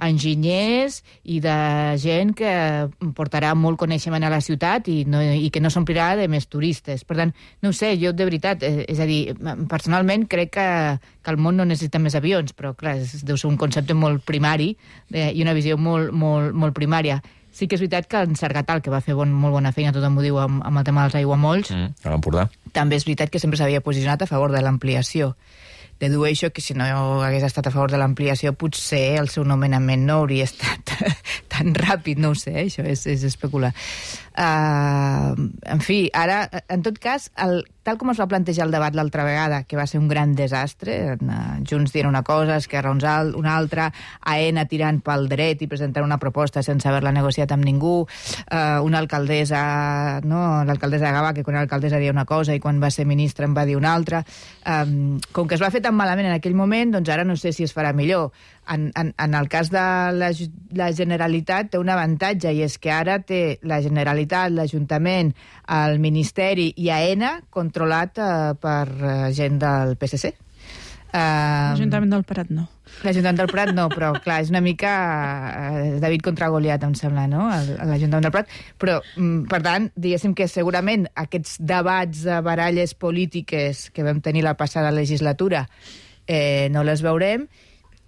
d'enginyers i de gent que portarà molt coneixement a la ciutat i que no s'omplirà de més turistes. Per tant, no ho sé, jo de veritat, és a dir, personalment crec que el món no necessita més avions, però clar, deu ser un concepte molt primari i una visió molt primària. Sí que és veritat que en Sargatal, que va fer molt bona feina, tothom ho diu amb el tema dels aiguamolls, a l'Empordà, també és veritat que sempre s'havia posicionat a favor de l'ampliació. Dedueixo que si no hagués estat a favor de l'ampliació, potser el seu nomenament no hauria estat tan ràpid, no ho sé, això és especular. En fi, ara, en tot cas, tal com es va plantejar el debat l'altra vegada, que va ser un gran desastre, Junts dient una cosa, Esquerra una altra, AENA tirant pel dret i presentant una proposta sense haver-la negociat amb ningú, una alcaldessa, l'alcaldessa de Gavà, que quan era alcaldessa deia una cosa i quan va ser ministra en va dir una altra. Com que es va fer tan malament en aquell moment, doncs ara no sé si es farà millor. En el cas de la Generalitat té un avantatge, i és que ara té la Generalitat, l'Ajuntament, el Ministeri i AENA controlat per gent del PSC. L'Ajuntament del Prat no. L'Ajuntament del Prat no, però clar, és una mica David contra Goliat, em sembla, no? L'Ajuntament del Prat. Però, per tant, diguéssim que segurament aquests debats de baralles polítiques que vam tenir la passada legislatura no les veurem,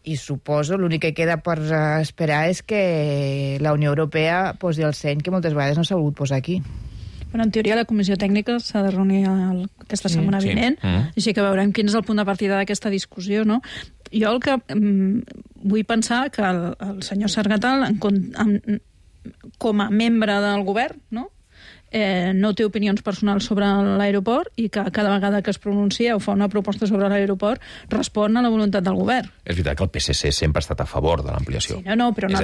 i suposo l'únic que queda per esperar és que la Unió Europea posi el seny que moltes vegades no s'ha volgut posar aquí. Bueno, en teoria la comissió tècnica s'ha de reunir aquesta setmana vinent, així que veurem quin és el punt de partida d'aquesta discussió, no? Jo el que vull pensar que el senyor Sargatal, com a membre del govern, no té opinions personals sobre l'aeroport i que cada vegada que es pronuncia o fa una proposta sobre l'aeroport respon a la voluntat del govern. És veritat que el PSC sempre ha estat a favor de l'ampliació. Sí, però una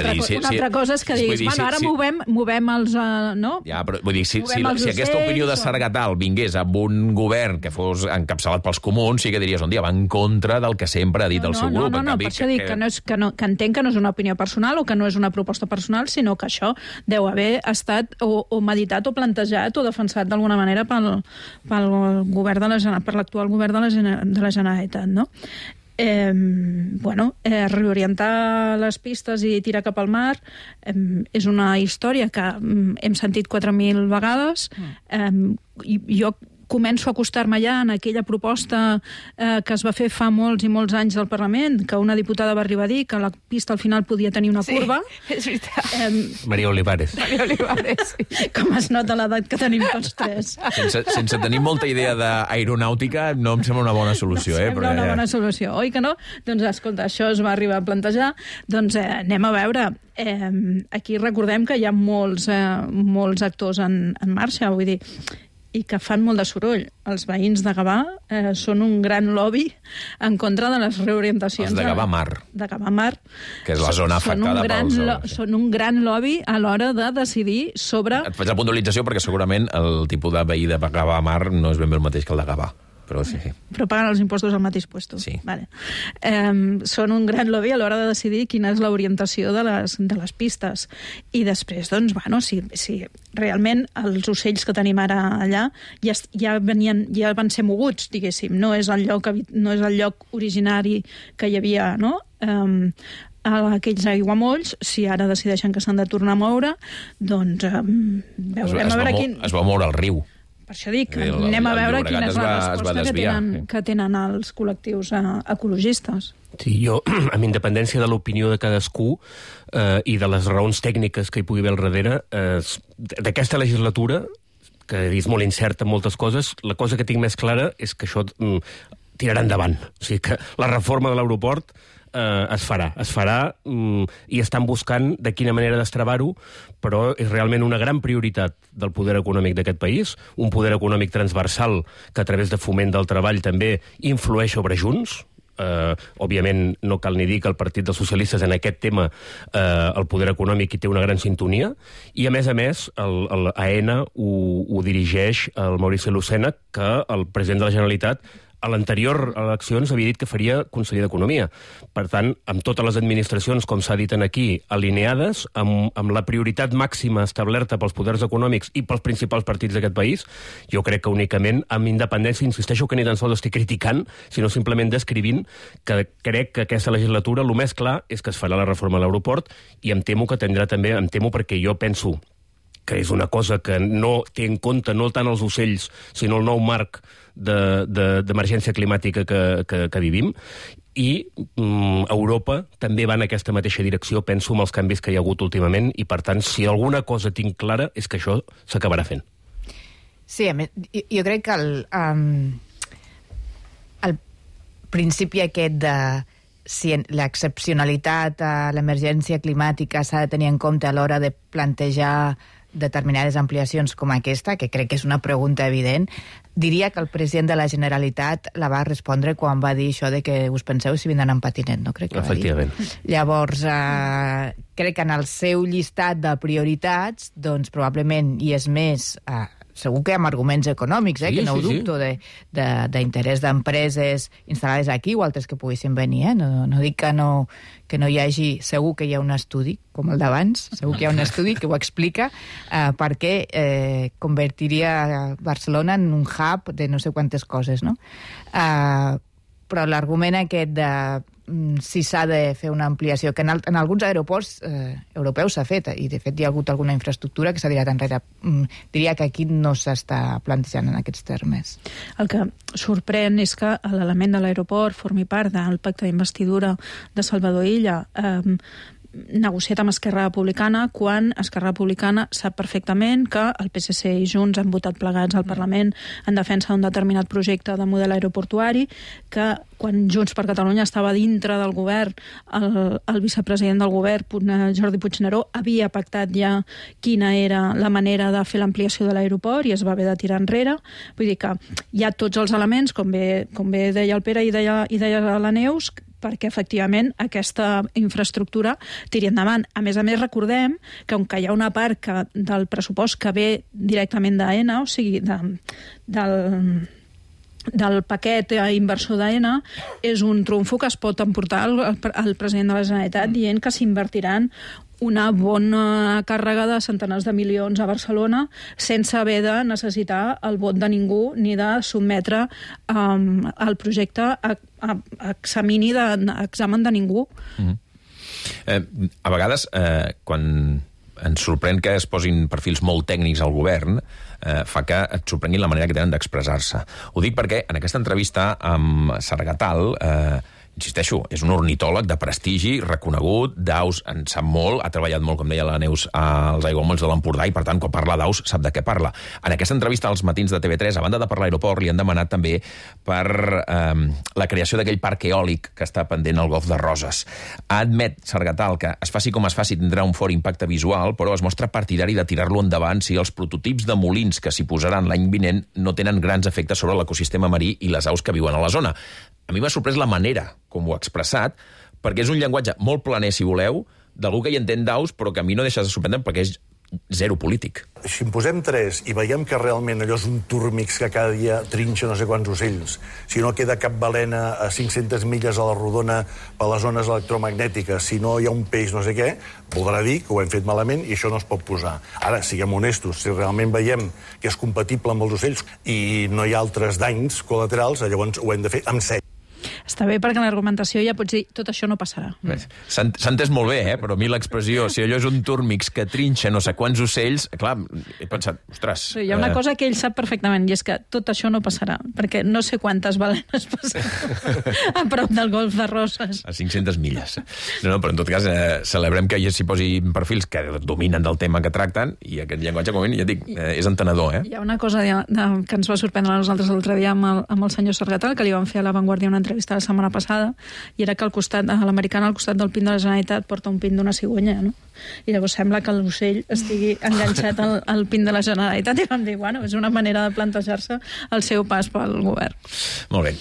altra cosa és que diguis, bueno, ara movem els... Ja, però vull dir, si aquesta opinió de Sargatal vingués amb un govern que fos encapçalat pels comuns, sí que diries, un dia va en contra del que sempre ha dit el seu grup. No, per això dic que entenc que no és una opinió personal o que no és una proposta personal, sinó que això deu haver estat o meditat o plantejat o defensat d'alguna manera per l'actual govern de la Generalitat, no? Reorientar les pistes i tirar cap al mar és una història que hem sentit 4.000 vegades i jo començo a acostar-me ja en aquella proposta que es va fer fa molts i molts anys del Parlament, que una diputada va arribar a dir que la pista al final podia tenir una curva. Sí, és veritat. Maria Olivares. Sí. Com es nota l'edat que tenim tots tres. Sense tenir molta idea d'aeronàutica, no em sembla una bona solució. Una bona solució, oi que no? Doncs escolta, això es va arribar a plantejar, doncs anem a veure. Aquí recordem que hi ha molts actors en marxa, vull dir, i que fan molt de soroll. Els veïns de Gavà són un gran lobby en contra de les reorientacions. Els de Gavà Mar. De Gavà Mar. Que és la zona afectada pels... Són un gran lobby a l'hora de decidir sobre... Et faig la puntualització perquè segurament el tipus de veí de Gavà Mar no és ben bé el mateix que el de Gavà. però sí. Però paguen els impostos al mateix puesto. Sí. Vale. Són un gran lobby a l'hora de decidir quina és l'orientació de les pistes. I després, doncs, bueno, si realment els ocells que tenim ara allà ja van ser moguts, diguéssim. No és el lloc originari que hi havia, no?, aquells aiguamolls, si ara decideixen que s'han de tornar a moure, doncs veurem a veure quin... Es va moure el riu. Per això dic, anem a veure quina és la resposta que tenen els col·lectius ecologistes. Sí, jo, amb independència de l'opinió de cadascú i de les raons tècniques que hi pugui haver al darrere, d'aquesta legislatura, que és molt incerta en moltes coses, la cosa que tinc més clara és que això tirarà endavant. O sigui que la reforma de l'aeroport es farà i estan buscant de quina manera destravar-ho, però és realment una gran prioritat del poder econòmic d'aquest país, un poder econòmic transversal que a través de foment del treball també influeix sobre Junts. Òbviament no cal ni dir que el Partit dels Socialistes en aquest tema el poder econòmic hi té una gran sintonia, i a més el AENA ho dirigeix el Maurici Lucena, que el president de la Generalitat a l'anterior eleccions havia dit que faria conseller d'Economia. Per tant, amb totes les administracions, com s'ha dit aquí, alineades, amb la prioritat màxima establerta pels poders econòmics i pels principals partits d'aquest país, jo crec que únicament amb independència, insisteixo que ni tan sols estic criticant, sinó simplement descrivint que crec que aquesta legislatura el més clar és que es farà la reforma a l'aeroport, i em temo que tindrà també, perquè jo penso que és una cosa que no té en compte no tant els ocells, sinó el nou marc d'emergència climàtica que vivim, i Europa també va en aquesta mateixa direcció, penso, amb els canvis que hi ha hagut últimament, i per tant, si alguna cosa tinc clara és que això s'acabarà fent. Sí, jo crec que el principi aquest de si l'excepcionalitat a l'emergència climàtica s'ha de tenir en compte a l'hora de plantejar determinades ampliacions com aquesta, que crec que és una pregunta evident, diria que el president de la Generalitat la va respondre quan va dir això de que us penseu si vindran en patinet, no? Crec que efectivament. Llavors, crec que en el seu llistat de prioritats, doncs probablement hi és més... segur que amb arguments econòmics, que no ho dubto, d'interès d'empreses instal·lades aquí o altres que poguessin venir. No dic que no hi hagi... Segur que hi ha un estudi, com el d'abans, segur que hi ha un estudi que ho explica, perquè convertiria Barcelona en un hub de no sé quantes coses, no? Però l'argument aquest de si s'ha de fer una ampliació, que en alguns aeroports europeus s'ha fet, i de fet hi ha hagut alguna infraestructura que s'ha tirat enrere. Diria que aquí no s'està plantejant en aquests termes. El que sorprèn és que l'element de l'aeroport formi part del pacte d'investidura de Salvador Illa, negociat amb Esquerra Republicana, quan Esquerra Republicana sap perfectament que el PSC i Junts han votat plegats al Parlament en defensa d'un determinat projecte de model aeroportuari, que quan Junts per Catalunya estava dintre del govern, el vicepresident del govern, Jordi Puigneró, havia pactat ja quina era la manera de fer l'ampliació de l'aeroport i es va haver de tirar enrere. Vull dir que hi ha tots els elements, com bé deia el Pere i deia la Neus, perquè efectivament aquesta infraestructura tiri endavant. A més, recordem que on hi ha una part del pressupost que ve directament d'AENA, o sigui, del paquet inversor d'AENA, és un trumfo que es pot emportar al president de la Generalitat dient que s'invertiran una bona càrrega de centenars de milions a Barcelona sense haver de necessitar el vot de ningú ni de sotmetre el projecte a examini d'examen de ningú. A vegades, quan ens sorprèn que es posin perfils molt tècnics al govern, fa que et sorprenguin la manera que tenen d'expressar-se. Ho dic perquè en aquesta entrevista amb Sargatal, insisteixo, és un ornitòleg de prestigi, reconegut, d'aus en sap molt, ha treballat molt, com deia la Neus, als aiguamolls de l'Empordà, i per tant, quan parla d'aus, sap de què parla. En aquesta entrevista als matins de TV3, a banda de per l'aeroport, li han demanat també per la creació d'aquell parc eòlic que està pendent al Golf de Roses. Admet Sargatal que es faci com es faci tindrà un fort impacte visual, però es mostra partidari de tirar-lo endavant si els prototips de molins que s'hi posaran l'any vinent no tenen grans efectes sobre l'ecosistema marí i les aus que viuen a la zona. A mi m'ha sorprès la manera com ho ha expressat, perquè és un llenguatge molt planer, si voleu, d'algú que hi entén d'aus, però que a mi no deixa de sorprendre perquè és zero polític. Si en posem 3 i veiem que realment allò és un turmix que cada dia trinxa no sé quants ocells, si no queda cap balena a 500 milles a la rodona per les zones electromagnètiques, si no hi ha un peix no sé què, voldrà dir que ho hem fet malament i això no es pot posar. Ara, siguem honestos, si realment veiem que és compatible amb els ocells i no hi ha altres danys col·laterals, llavors ho hem de fer amb seny. Està bé perquè l'argumentació ja pots dir tot això no passarà. S'ha entès molt bé, però a mi l'expressió, si allò és un túrmix que trinxa no sé quants ocells, clar, he pensat, ostres... Hi ha una cosa que ell sap perfectament, i és que tot això no passarà, perquè no sé quantes balenes passaran a prop del golf de Roses. A 500 milles. No, però en tot cas, celebrem que s'hi posi perfils que dominen del tema que tracten, i aquest llenguatge, com ja dic, és entenedor, Hi ha una cosa que ens va sorprendre a nosaltres l'altre dia amb el senyor Sargatal, que li van fer a La Vanguardia una entrevista la setmana passada, i era que al costat, a l'americana, al costat del pin de la Generalitat, porta un pin d'una cigonyà, no? I llavors sembla que l'ocell estigui enganxat al pin de la Generalitat, i vam dir, bueno, és una manera de plantejar-se el seu pas pel govern. Molt bé.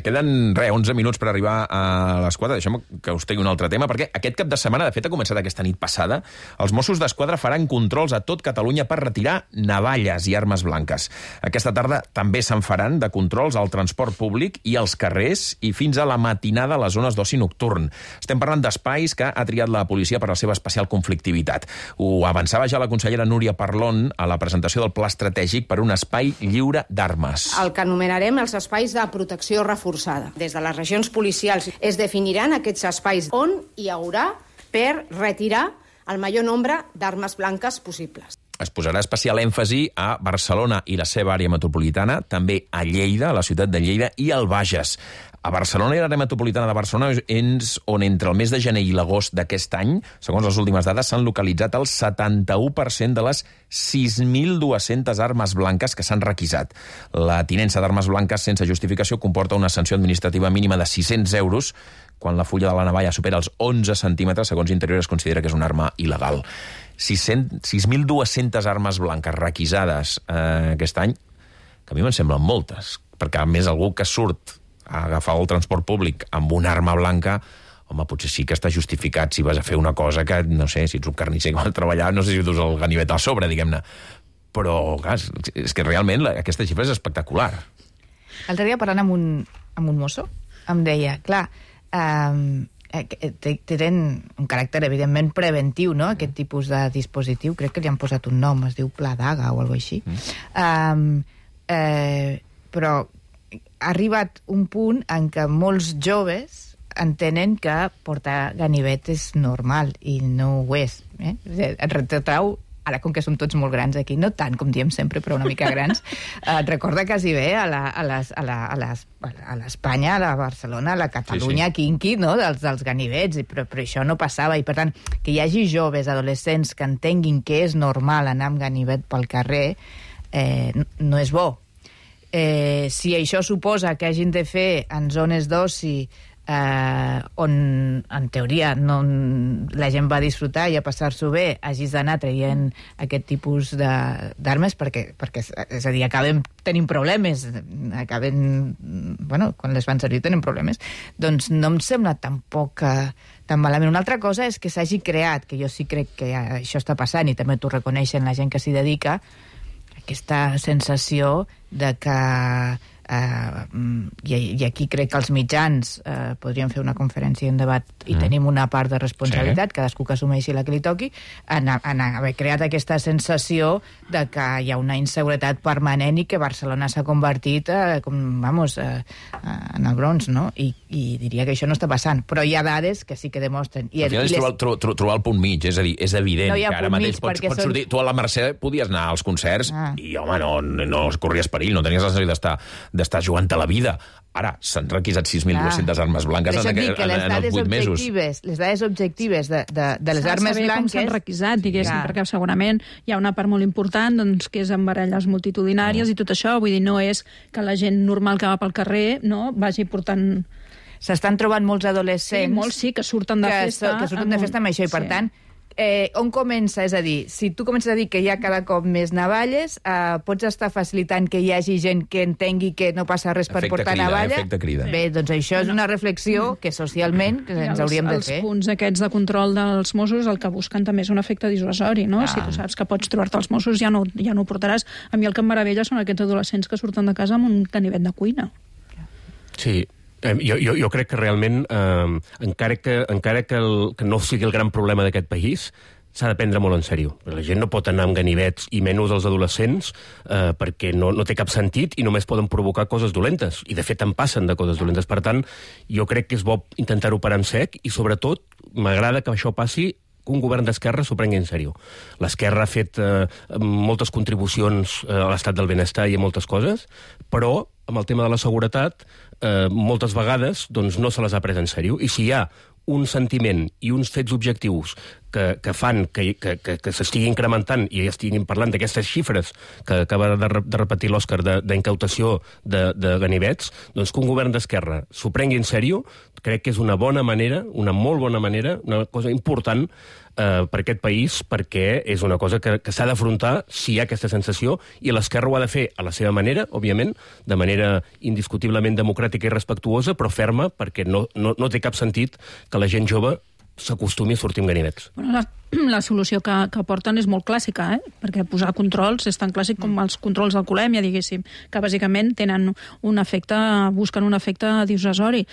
Queden, 11 minuts per arribar a les 4. Deixem que us tegui un altre tema, perquè aquest cap de setmana, de fet, ha començat aquesta nit passada, els Mossos d'Esquadra faran controls a tot Catalunya per retirar navalles i armes blanques. Aquesta tarda també se'n faran de controls al transport públic i als carrers i fins a la matinada a les zones d'oci nocturn. Estem parlant d'espais que ha triat la policia per la seva especial conflictivitat. Ho avançava ja la consellera Núria Parlon a la presentació del Pla Estratègic per un espai lliure d'armes. El que anomenarem els espais de protecció reforçada. Des de les regions policials es definiran aquests espais on hi haurà per retirar el major nombre d'armes blanques possibles. Es posarà especial èmfasi a Barcelona i la seva àrea metropolitana, també a Lleida, a la ciutat de Lleida, i al Bages. A Barcelona i l'àrea metropolitana de Barcelona és on entre el mes de gener i l'agost d'aquest any, segons les últimes dades, s'han localitzat el 71% de les 6.200 armes blanques que s'han requisat. La tinença d'armes blanques sense justificació comporta una sanció administrativa mínima de 600 euros quan la fulla de la navalla supera els 11 centímetres, segons Interior es considera que és una arma il·legal. 6.200 armes blanques requisades aquest any, que a mi me'n semblen moltes, perquè a més algú que surt a agafar el transport públic amb una arma blanca, home, potser sí que està justificat si vas a fer una cosa que, no sé, si ets un carnisser que vas a treballar, no sé si dus el ganivet a sobre, diguem-ne. Però, clar, és que realment aquesta xifra és espectacular. L'altre dia parlant amb un mosso, em deia, clar, tenen un caràcter evidentment preventiu, no?, aquest tipus de dispositiu, crec que li han posat un nom, es diu Pla d'Aga o alguna cosa així. Però ha arribat un punt en què molts joves entenen que portar ganivet és normal i no ho és. Et retrau, ara com que som tots molt grans aquí, no tant com diem sempre, però una mica grans, et recorda quasi bé a l'Espanya, a la Barcelona, a la Catalunya quinqui, no?, dels ganivets, però això no passava, i per tant, que hi hagi joves, adolescents, que entenguin que és normal anar amb ganivet pel carrer, no és bo. Si això suposa que hagin de fer en zones d'oci on, en teoria, la gent va disfrutar i a passar-s'ho bé, hagis d'anar traient aquest tipus d'armes perquè, és a dir, acabem tenint problemes, quan les fan servir tenen problemes, doncs no em sembla tampoc tan malament. Una altra cosa és que s'hagi creat, que jo sí crec que això està passant, i també t'ho reconeixen la gent que s'hi dedica, aquesta sensació de que i aquí crec que els mitjans podrien fer una conferència i un debat i tenim una part de responsabilitat, cadascú que assumeixi la que li toqui, en haver creat aquesta sensació de que hi ha una inseguretat permanent i que Barcelona s'ha convertit en el Bronx, no? I diria que això no està passant, però hi ha dades que sí que demostren. Al final és trobar el punt mig, és a dir, és evident que ara mateix pots sortir... Tu a la Mercè podies anar als concerts i, home, no corries perill, no tenies la necessitat d'estar jugant a la vida. Ara, s'han requisat 6.200 armes blanques en els 8 mesos. Les dades objectives de les armes blanques... Com s'han requisat, diguéssim, perquè segurament hi ha una part molt important que és amb baralles multitudinàries i tot això. Vull dir, no és que la gent normal que va pel carrer vagi portant... S'estan trobant molts adolescents... Sí, molts sí, que surten de festa. Que surten de festa amb això, i per tant, on comença? És a dir, si tu comences a dir que hi ha cada cop més navalles, pots estar facilitant que hi hagi gent que entengui que no passa res per portar navalla? Efecte crida. Bé, doncs això és una reflexió que socialment ens hauríem de fer. Els punts aquests de control dels Mossos el que busquen també és un efecte dissuasori, no? Si tu saps que pots trobar-te els Mossos ja no ho portaràs. A mi el que em meravella són aquests adolescents que surten de casa amb un ganivet de cuina. Sí, jo crec que realment, encara que no sigui el gran problema d'aquest país, s'ha de prendre molt en sèrio. La gent no pot anar amb ganivets, i menys els adolescents, perquè no té cap sentit i només poden provocar coses dolentes. I, de fet, en passen de coses dolentes. Per tant, jo crec que és bo intentar-ho parar en sec i, sobretot, m'agrada que això passi que un govern d'esquerra s'ho prengui en sèrio. L'esquerra ha fet moltes contribucions a l'estat del benestar i a moltes coses, però amb el tema de la seguretat moltes vegades doncs, no se les ha pres en sèrio. I si hi ha un sentiment i uns fets objectius que fan que s'estigui incrementant i estiguin parlant d'aquestes xifres que acaba de repetir l'Òscar d'incautació de ganivets, doncs que un govern d'esquerra s'ho prengui en sèrio, crec que és una bona manera, una molt bona manera, una cosa important per aquest país, perquè és una cosa que s'ha d'afrontar si hi ha aquesta sensació, i l'esquerra ho ha de fer a la seva manera, òbviament, de manera indiscutiblement democràtica i respectuosa, però ferma, perquè no té cap sentit que la gent jove s'acostumi a sortir amb ganivets. Bueno, la solució que porten és molt clàssica, perquè posar controls és tan clàssic com els controls d'alcoholèmia, diguéssim, que bàsicament tenen busquen un efecte dissuasori.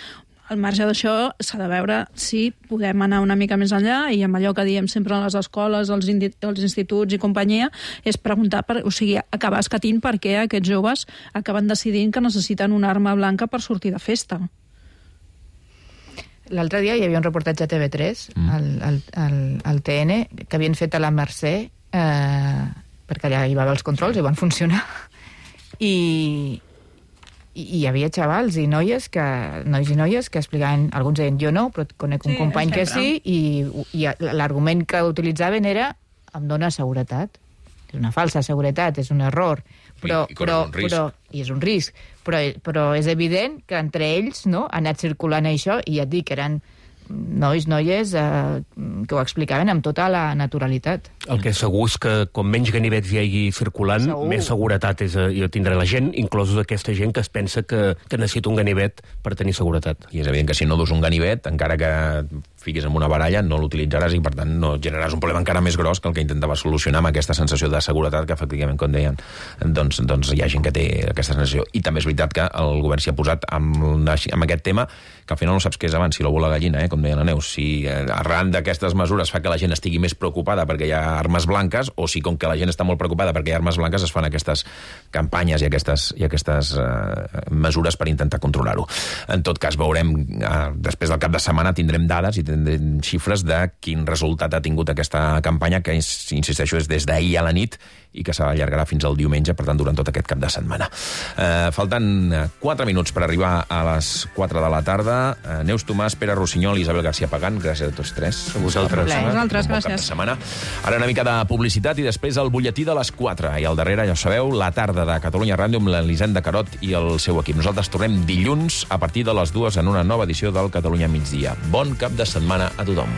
Al marge d'això, s'ha de veure si podem anar una mica més enllà, i amb allò que diem sempre a les escoles, als instituts i companyia, és preguntar, acabar escatint per què aquests joves acaben decidint que necessiten una arma blanca per sortir de festa. L'altre dia hi havia un reportatge a TV3, al TN, que havien fet a la Mercè, perquè allà hi va haver els controls i van funcionar. I hi havia xavals i nois i noies que explicaven, alguns deien jo no, però conec un company que sí, i l'argument que utilitzaven era em dona seguretat. És una falsa seguretat, és un error, però és un risc. Però és evident que entre ells ha anat circulant això, i ja et dic que eren noies que ho explicaven amb tota la naturalitat. El que és segur és que com menys ganivets hi hagi circulant, més seguretat tindrà la gent, inclosos aquesta gent que es pensa que necessita un ganivet per tenir seguretat. I és evident que si no dus un ganivet, encara que fiquis en una baralla, no l'utilitzaràs i, per tant, no generaràs un problema encara més gros que el que intentava solucionar amb aquesta sensació de seguretat que, efectivament, com deien, doncs hi ha gent que té aquesta sensació. I també és veritat que el govern s'hi ha posat amb aquest tema, que al final no saps què és abans, si l'ou o la gallina, com deia la Neus, si arran d'aquestes mesures fa que la gent estigui més preocupada perquè hi ha armes blanques, o si com que la gent està molt preocupada perquè hi ha armes blanques es fan aquestes campanyes i aquestes mesures per intentar controlar-ho. En tot cas, veurem, després del cap de setmana tindrem dades i tindrem xifres de quin resultat ha tingut aquesta campanya, que, insisteixo, és des d'ahir a la nit i que s'allargarà fins al diumenge, per tant, durant tot aquest cap de setmana. Falten 4 minuts per arribar a les 4 de la tarda. Neus Tomàs, Pere Rossinyol i Isabel García Pagán, gràcies a tots tres. A vosaltres. Gràcies. Ara una mica de publicitat i després el butlletí de les 4. I al darrere, ja ho sabeu, la tarda de Catalunya Ràdio amb l'Elisenda Carot i el seu equip. Nosaltres tornem dilluns a partir de les 2 en una nova edició del Catalunya Migdia. Bon cap de setmana a tothom.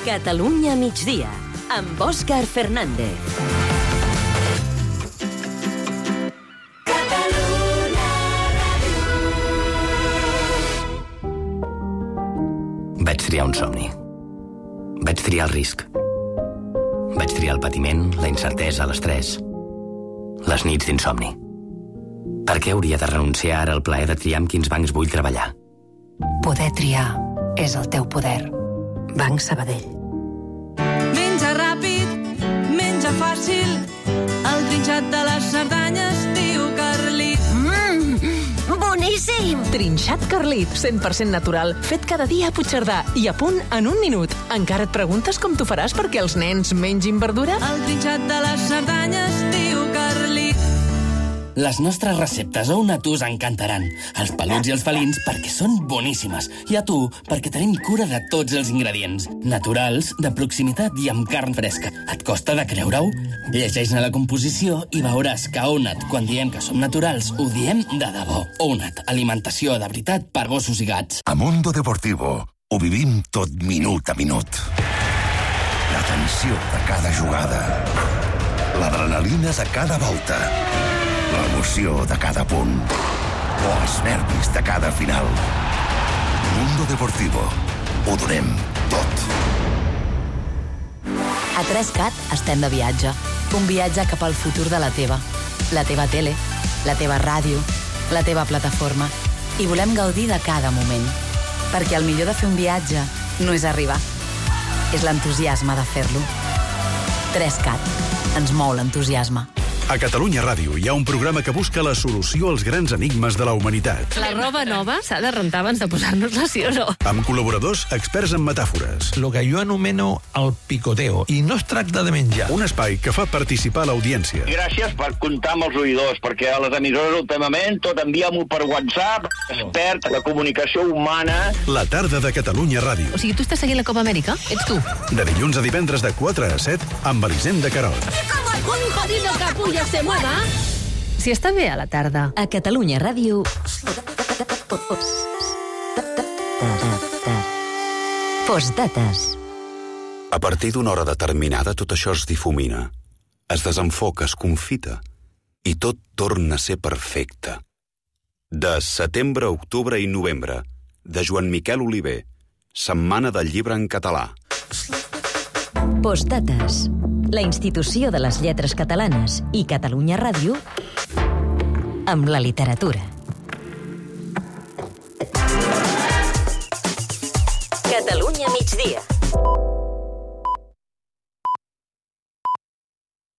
Catalunya migdia, amb Òscar Fernández. Vaig triar un somni. Vaig triar el risc. Vaig triar el patiment, la incertesa, l'estrès. Les nits d'insomni. Per què hauria de renunciar ara al plaer de triar amb quins bancs vull treballar? Poder triar és el teu poder. Banc Sabadell. Menja ràpid, menja fàcil, el trinxat de les Cerdanyes diu Carlit. boníssim! Trinxat Carlit, 100% natural, fet cada dia a Puigcerdà i a punt en un minut. Encara et preguntes com t'ho faràs perquè els nens mengin verdura? El trinxat de les Cerdanyes diu Carlit. Les nostres receptes a UNAT us encantaran. Els peluts i els felins perquè són boníssimes. I a tu perquè tenim cura de tots els ingredients. Naturals, de proximitat i amb carn fresca. Et costa de creure-ho? Llegeix-ne la composició i veuràs que a UNAT, quan diem que som naturals, ho diem de debò. UNAT, alimentació de veritat per gossos i gats. A Mundo Deportivo ho vivim tot minut a minut. La tensió de cada jugada. L'adrenalina de cada volta. L'emoció de cada punt. O els nervis de cada final. Mundo Deportivo. Ho donem tot. A 3CAT estem de viatge. Un viatge cap al futur de la teva tele, la teva ràdio, la teva plataforma. I volem gaudir de cada moment. Perquè el millor de fer un viatge no és arribar. És l'entusiasme de fer-lo. 3CAT. Ens mou l'entusiasme. A Catalunya Ràdio hi ha un programa que busca la solució als grans enigmes de la humanitat. La roba nova s'ha de rentar abans de posar-nos-la, sí o no? Amb col·laboradors experts en metàfores. Lo que jo anomeno el picoteo. I no es tracta de menjar. Un espai que fa participar l'audiència. Gràcies per comptar amb els oïdors, perquè a les emissores últimament tot envia-m'ho per WhatsApp, es perd la comunicació humana. La tarda de Catalunya Ràdio. O sigui, tu estàs seguint la Copa Amèrica? Ets tu? De dilluns a divendres de 4 a 7 amb Elisenda Querol. Un jodido capullo se mueva. Si està bé a la tarda. A Catalunya Ràdio... Postdates. A partir d'una hora determinada tot això es difumina, es desenfoca, es confita i tot torna a ser perfecte. De setembre, octubre i novembre, de Joan Miquel Oliver, Setmana del Llibre en Català. Postdates. La institució de les lletres catalanes i Catalunya Ràdio amb la literatura.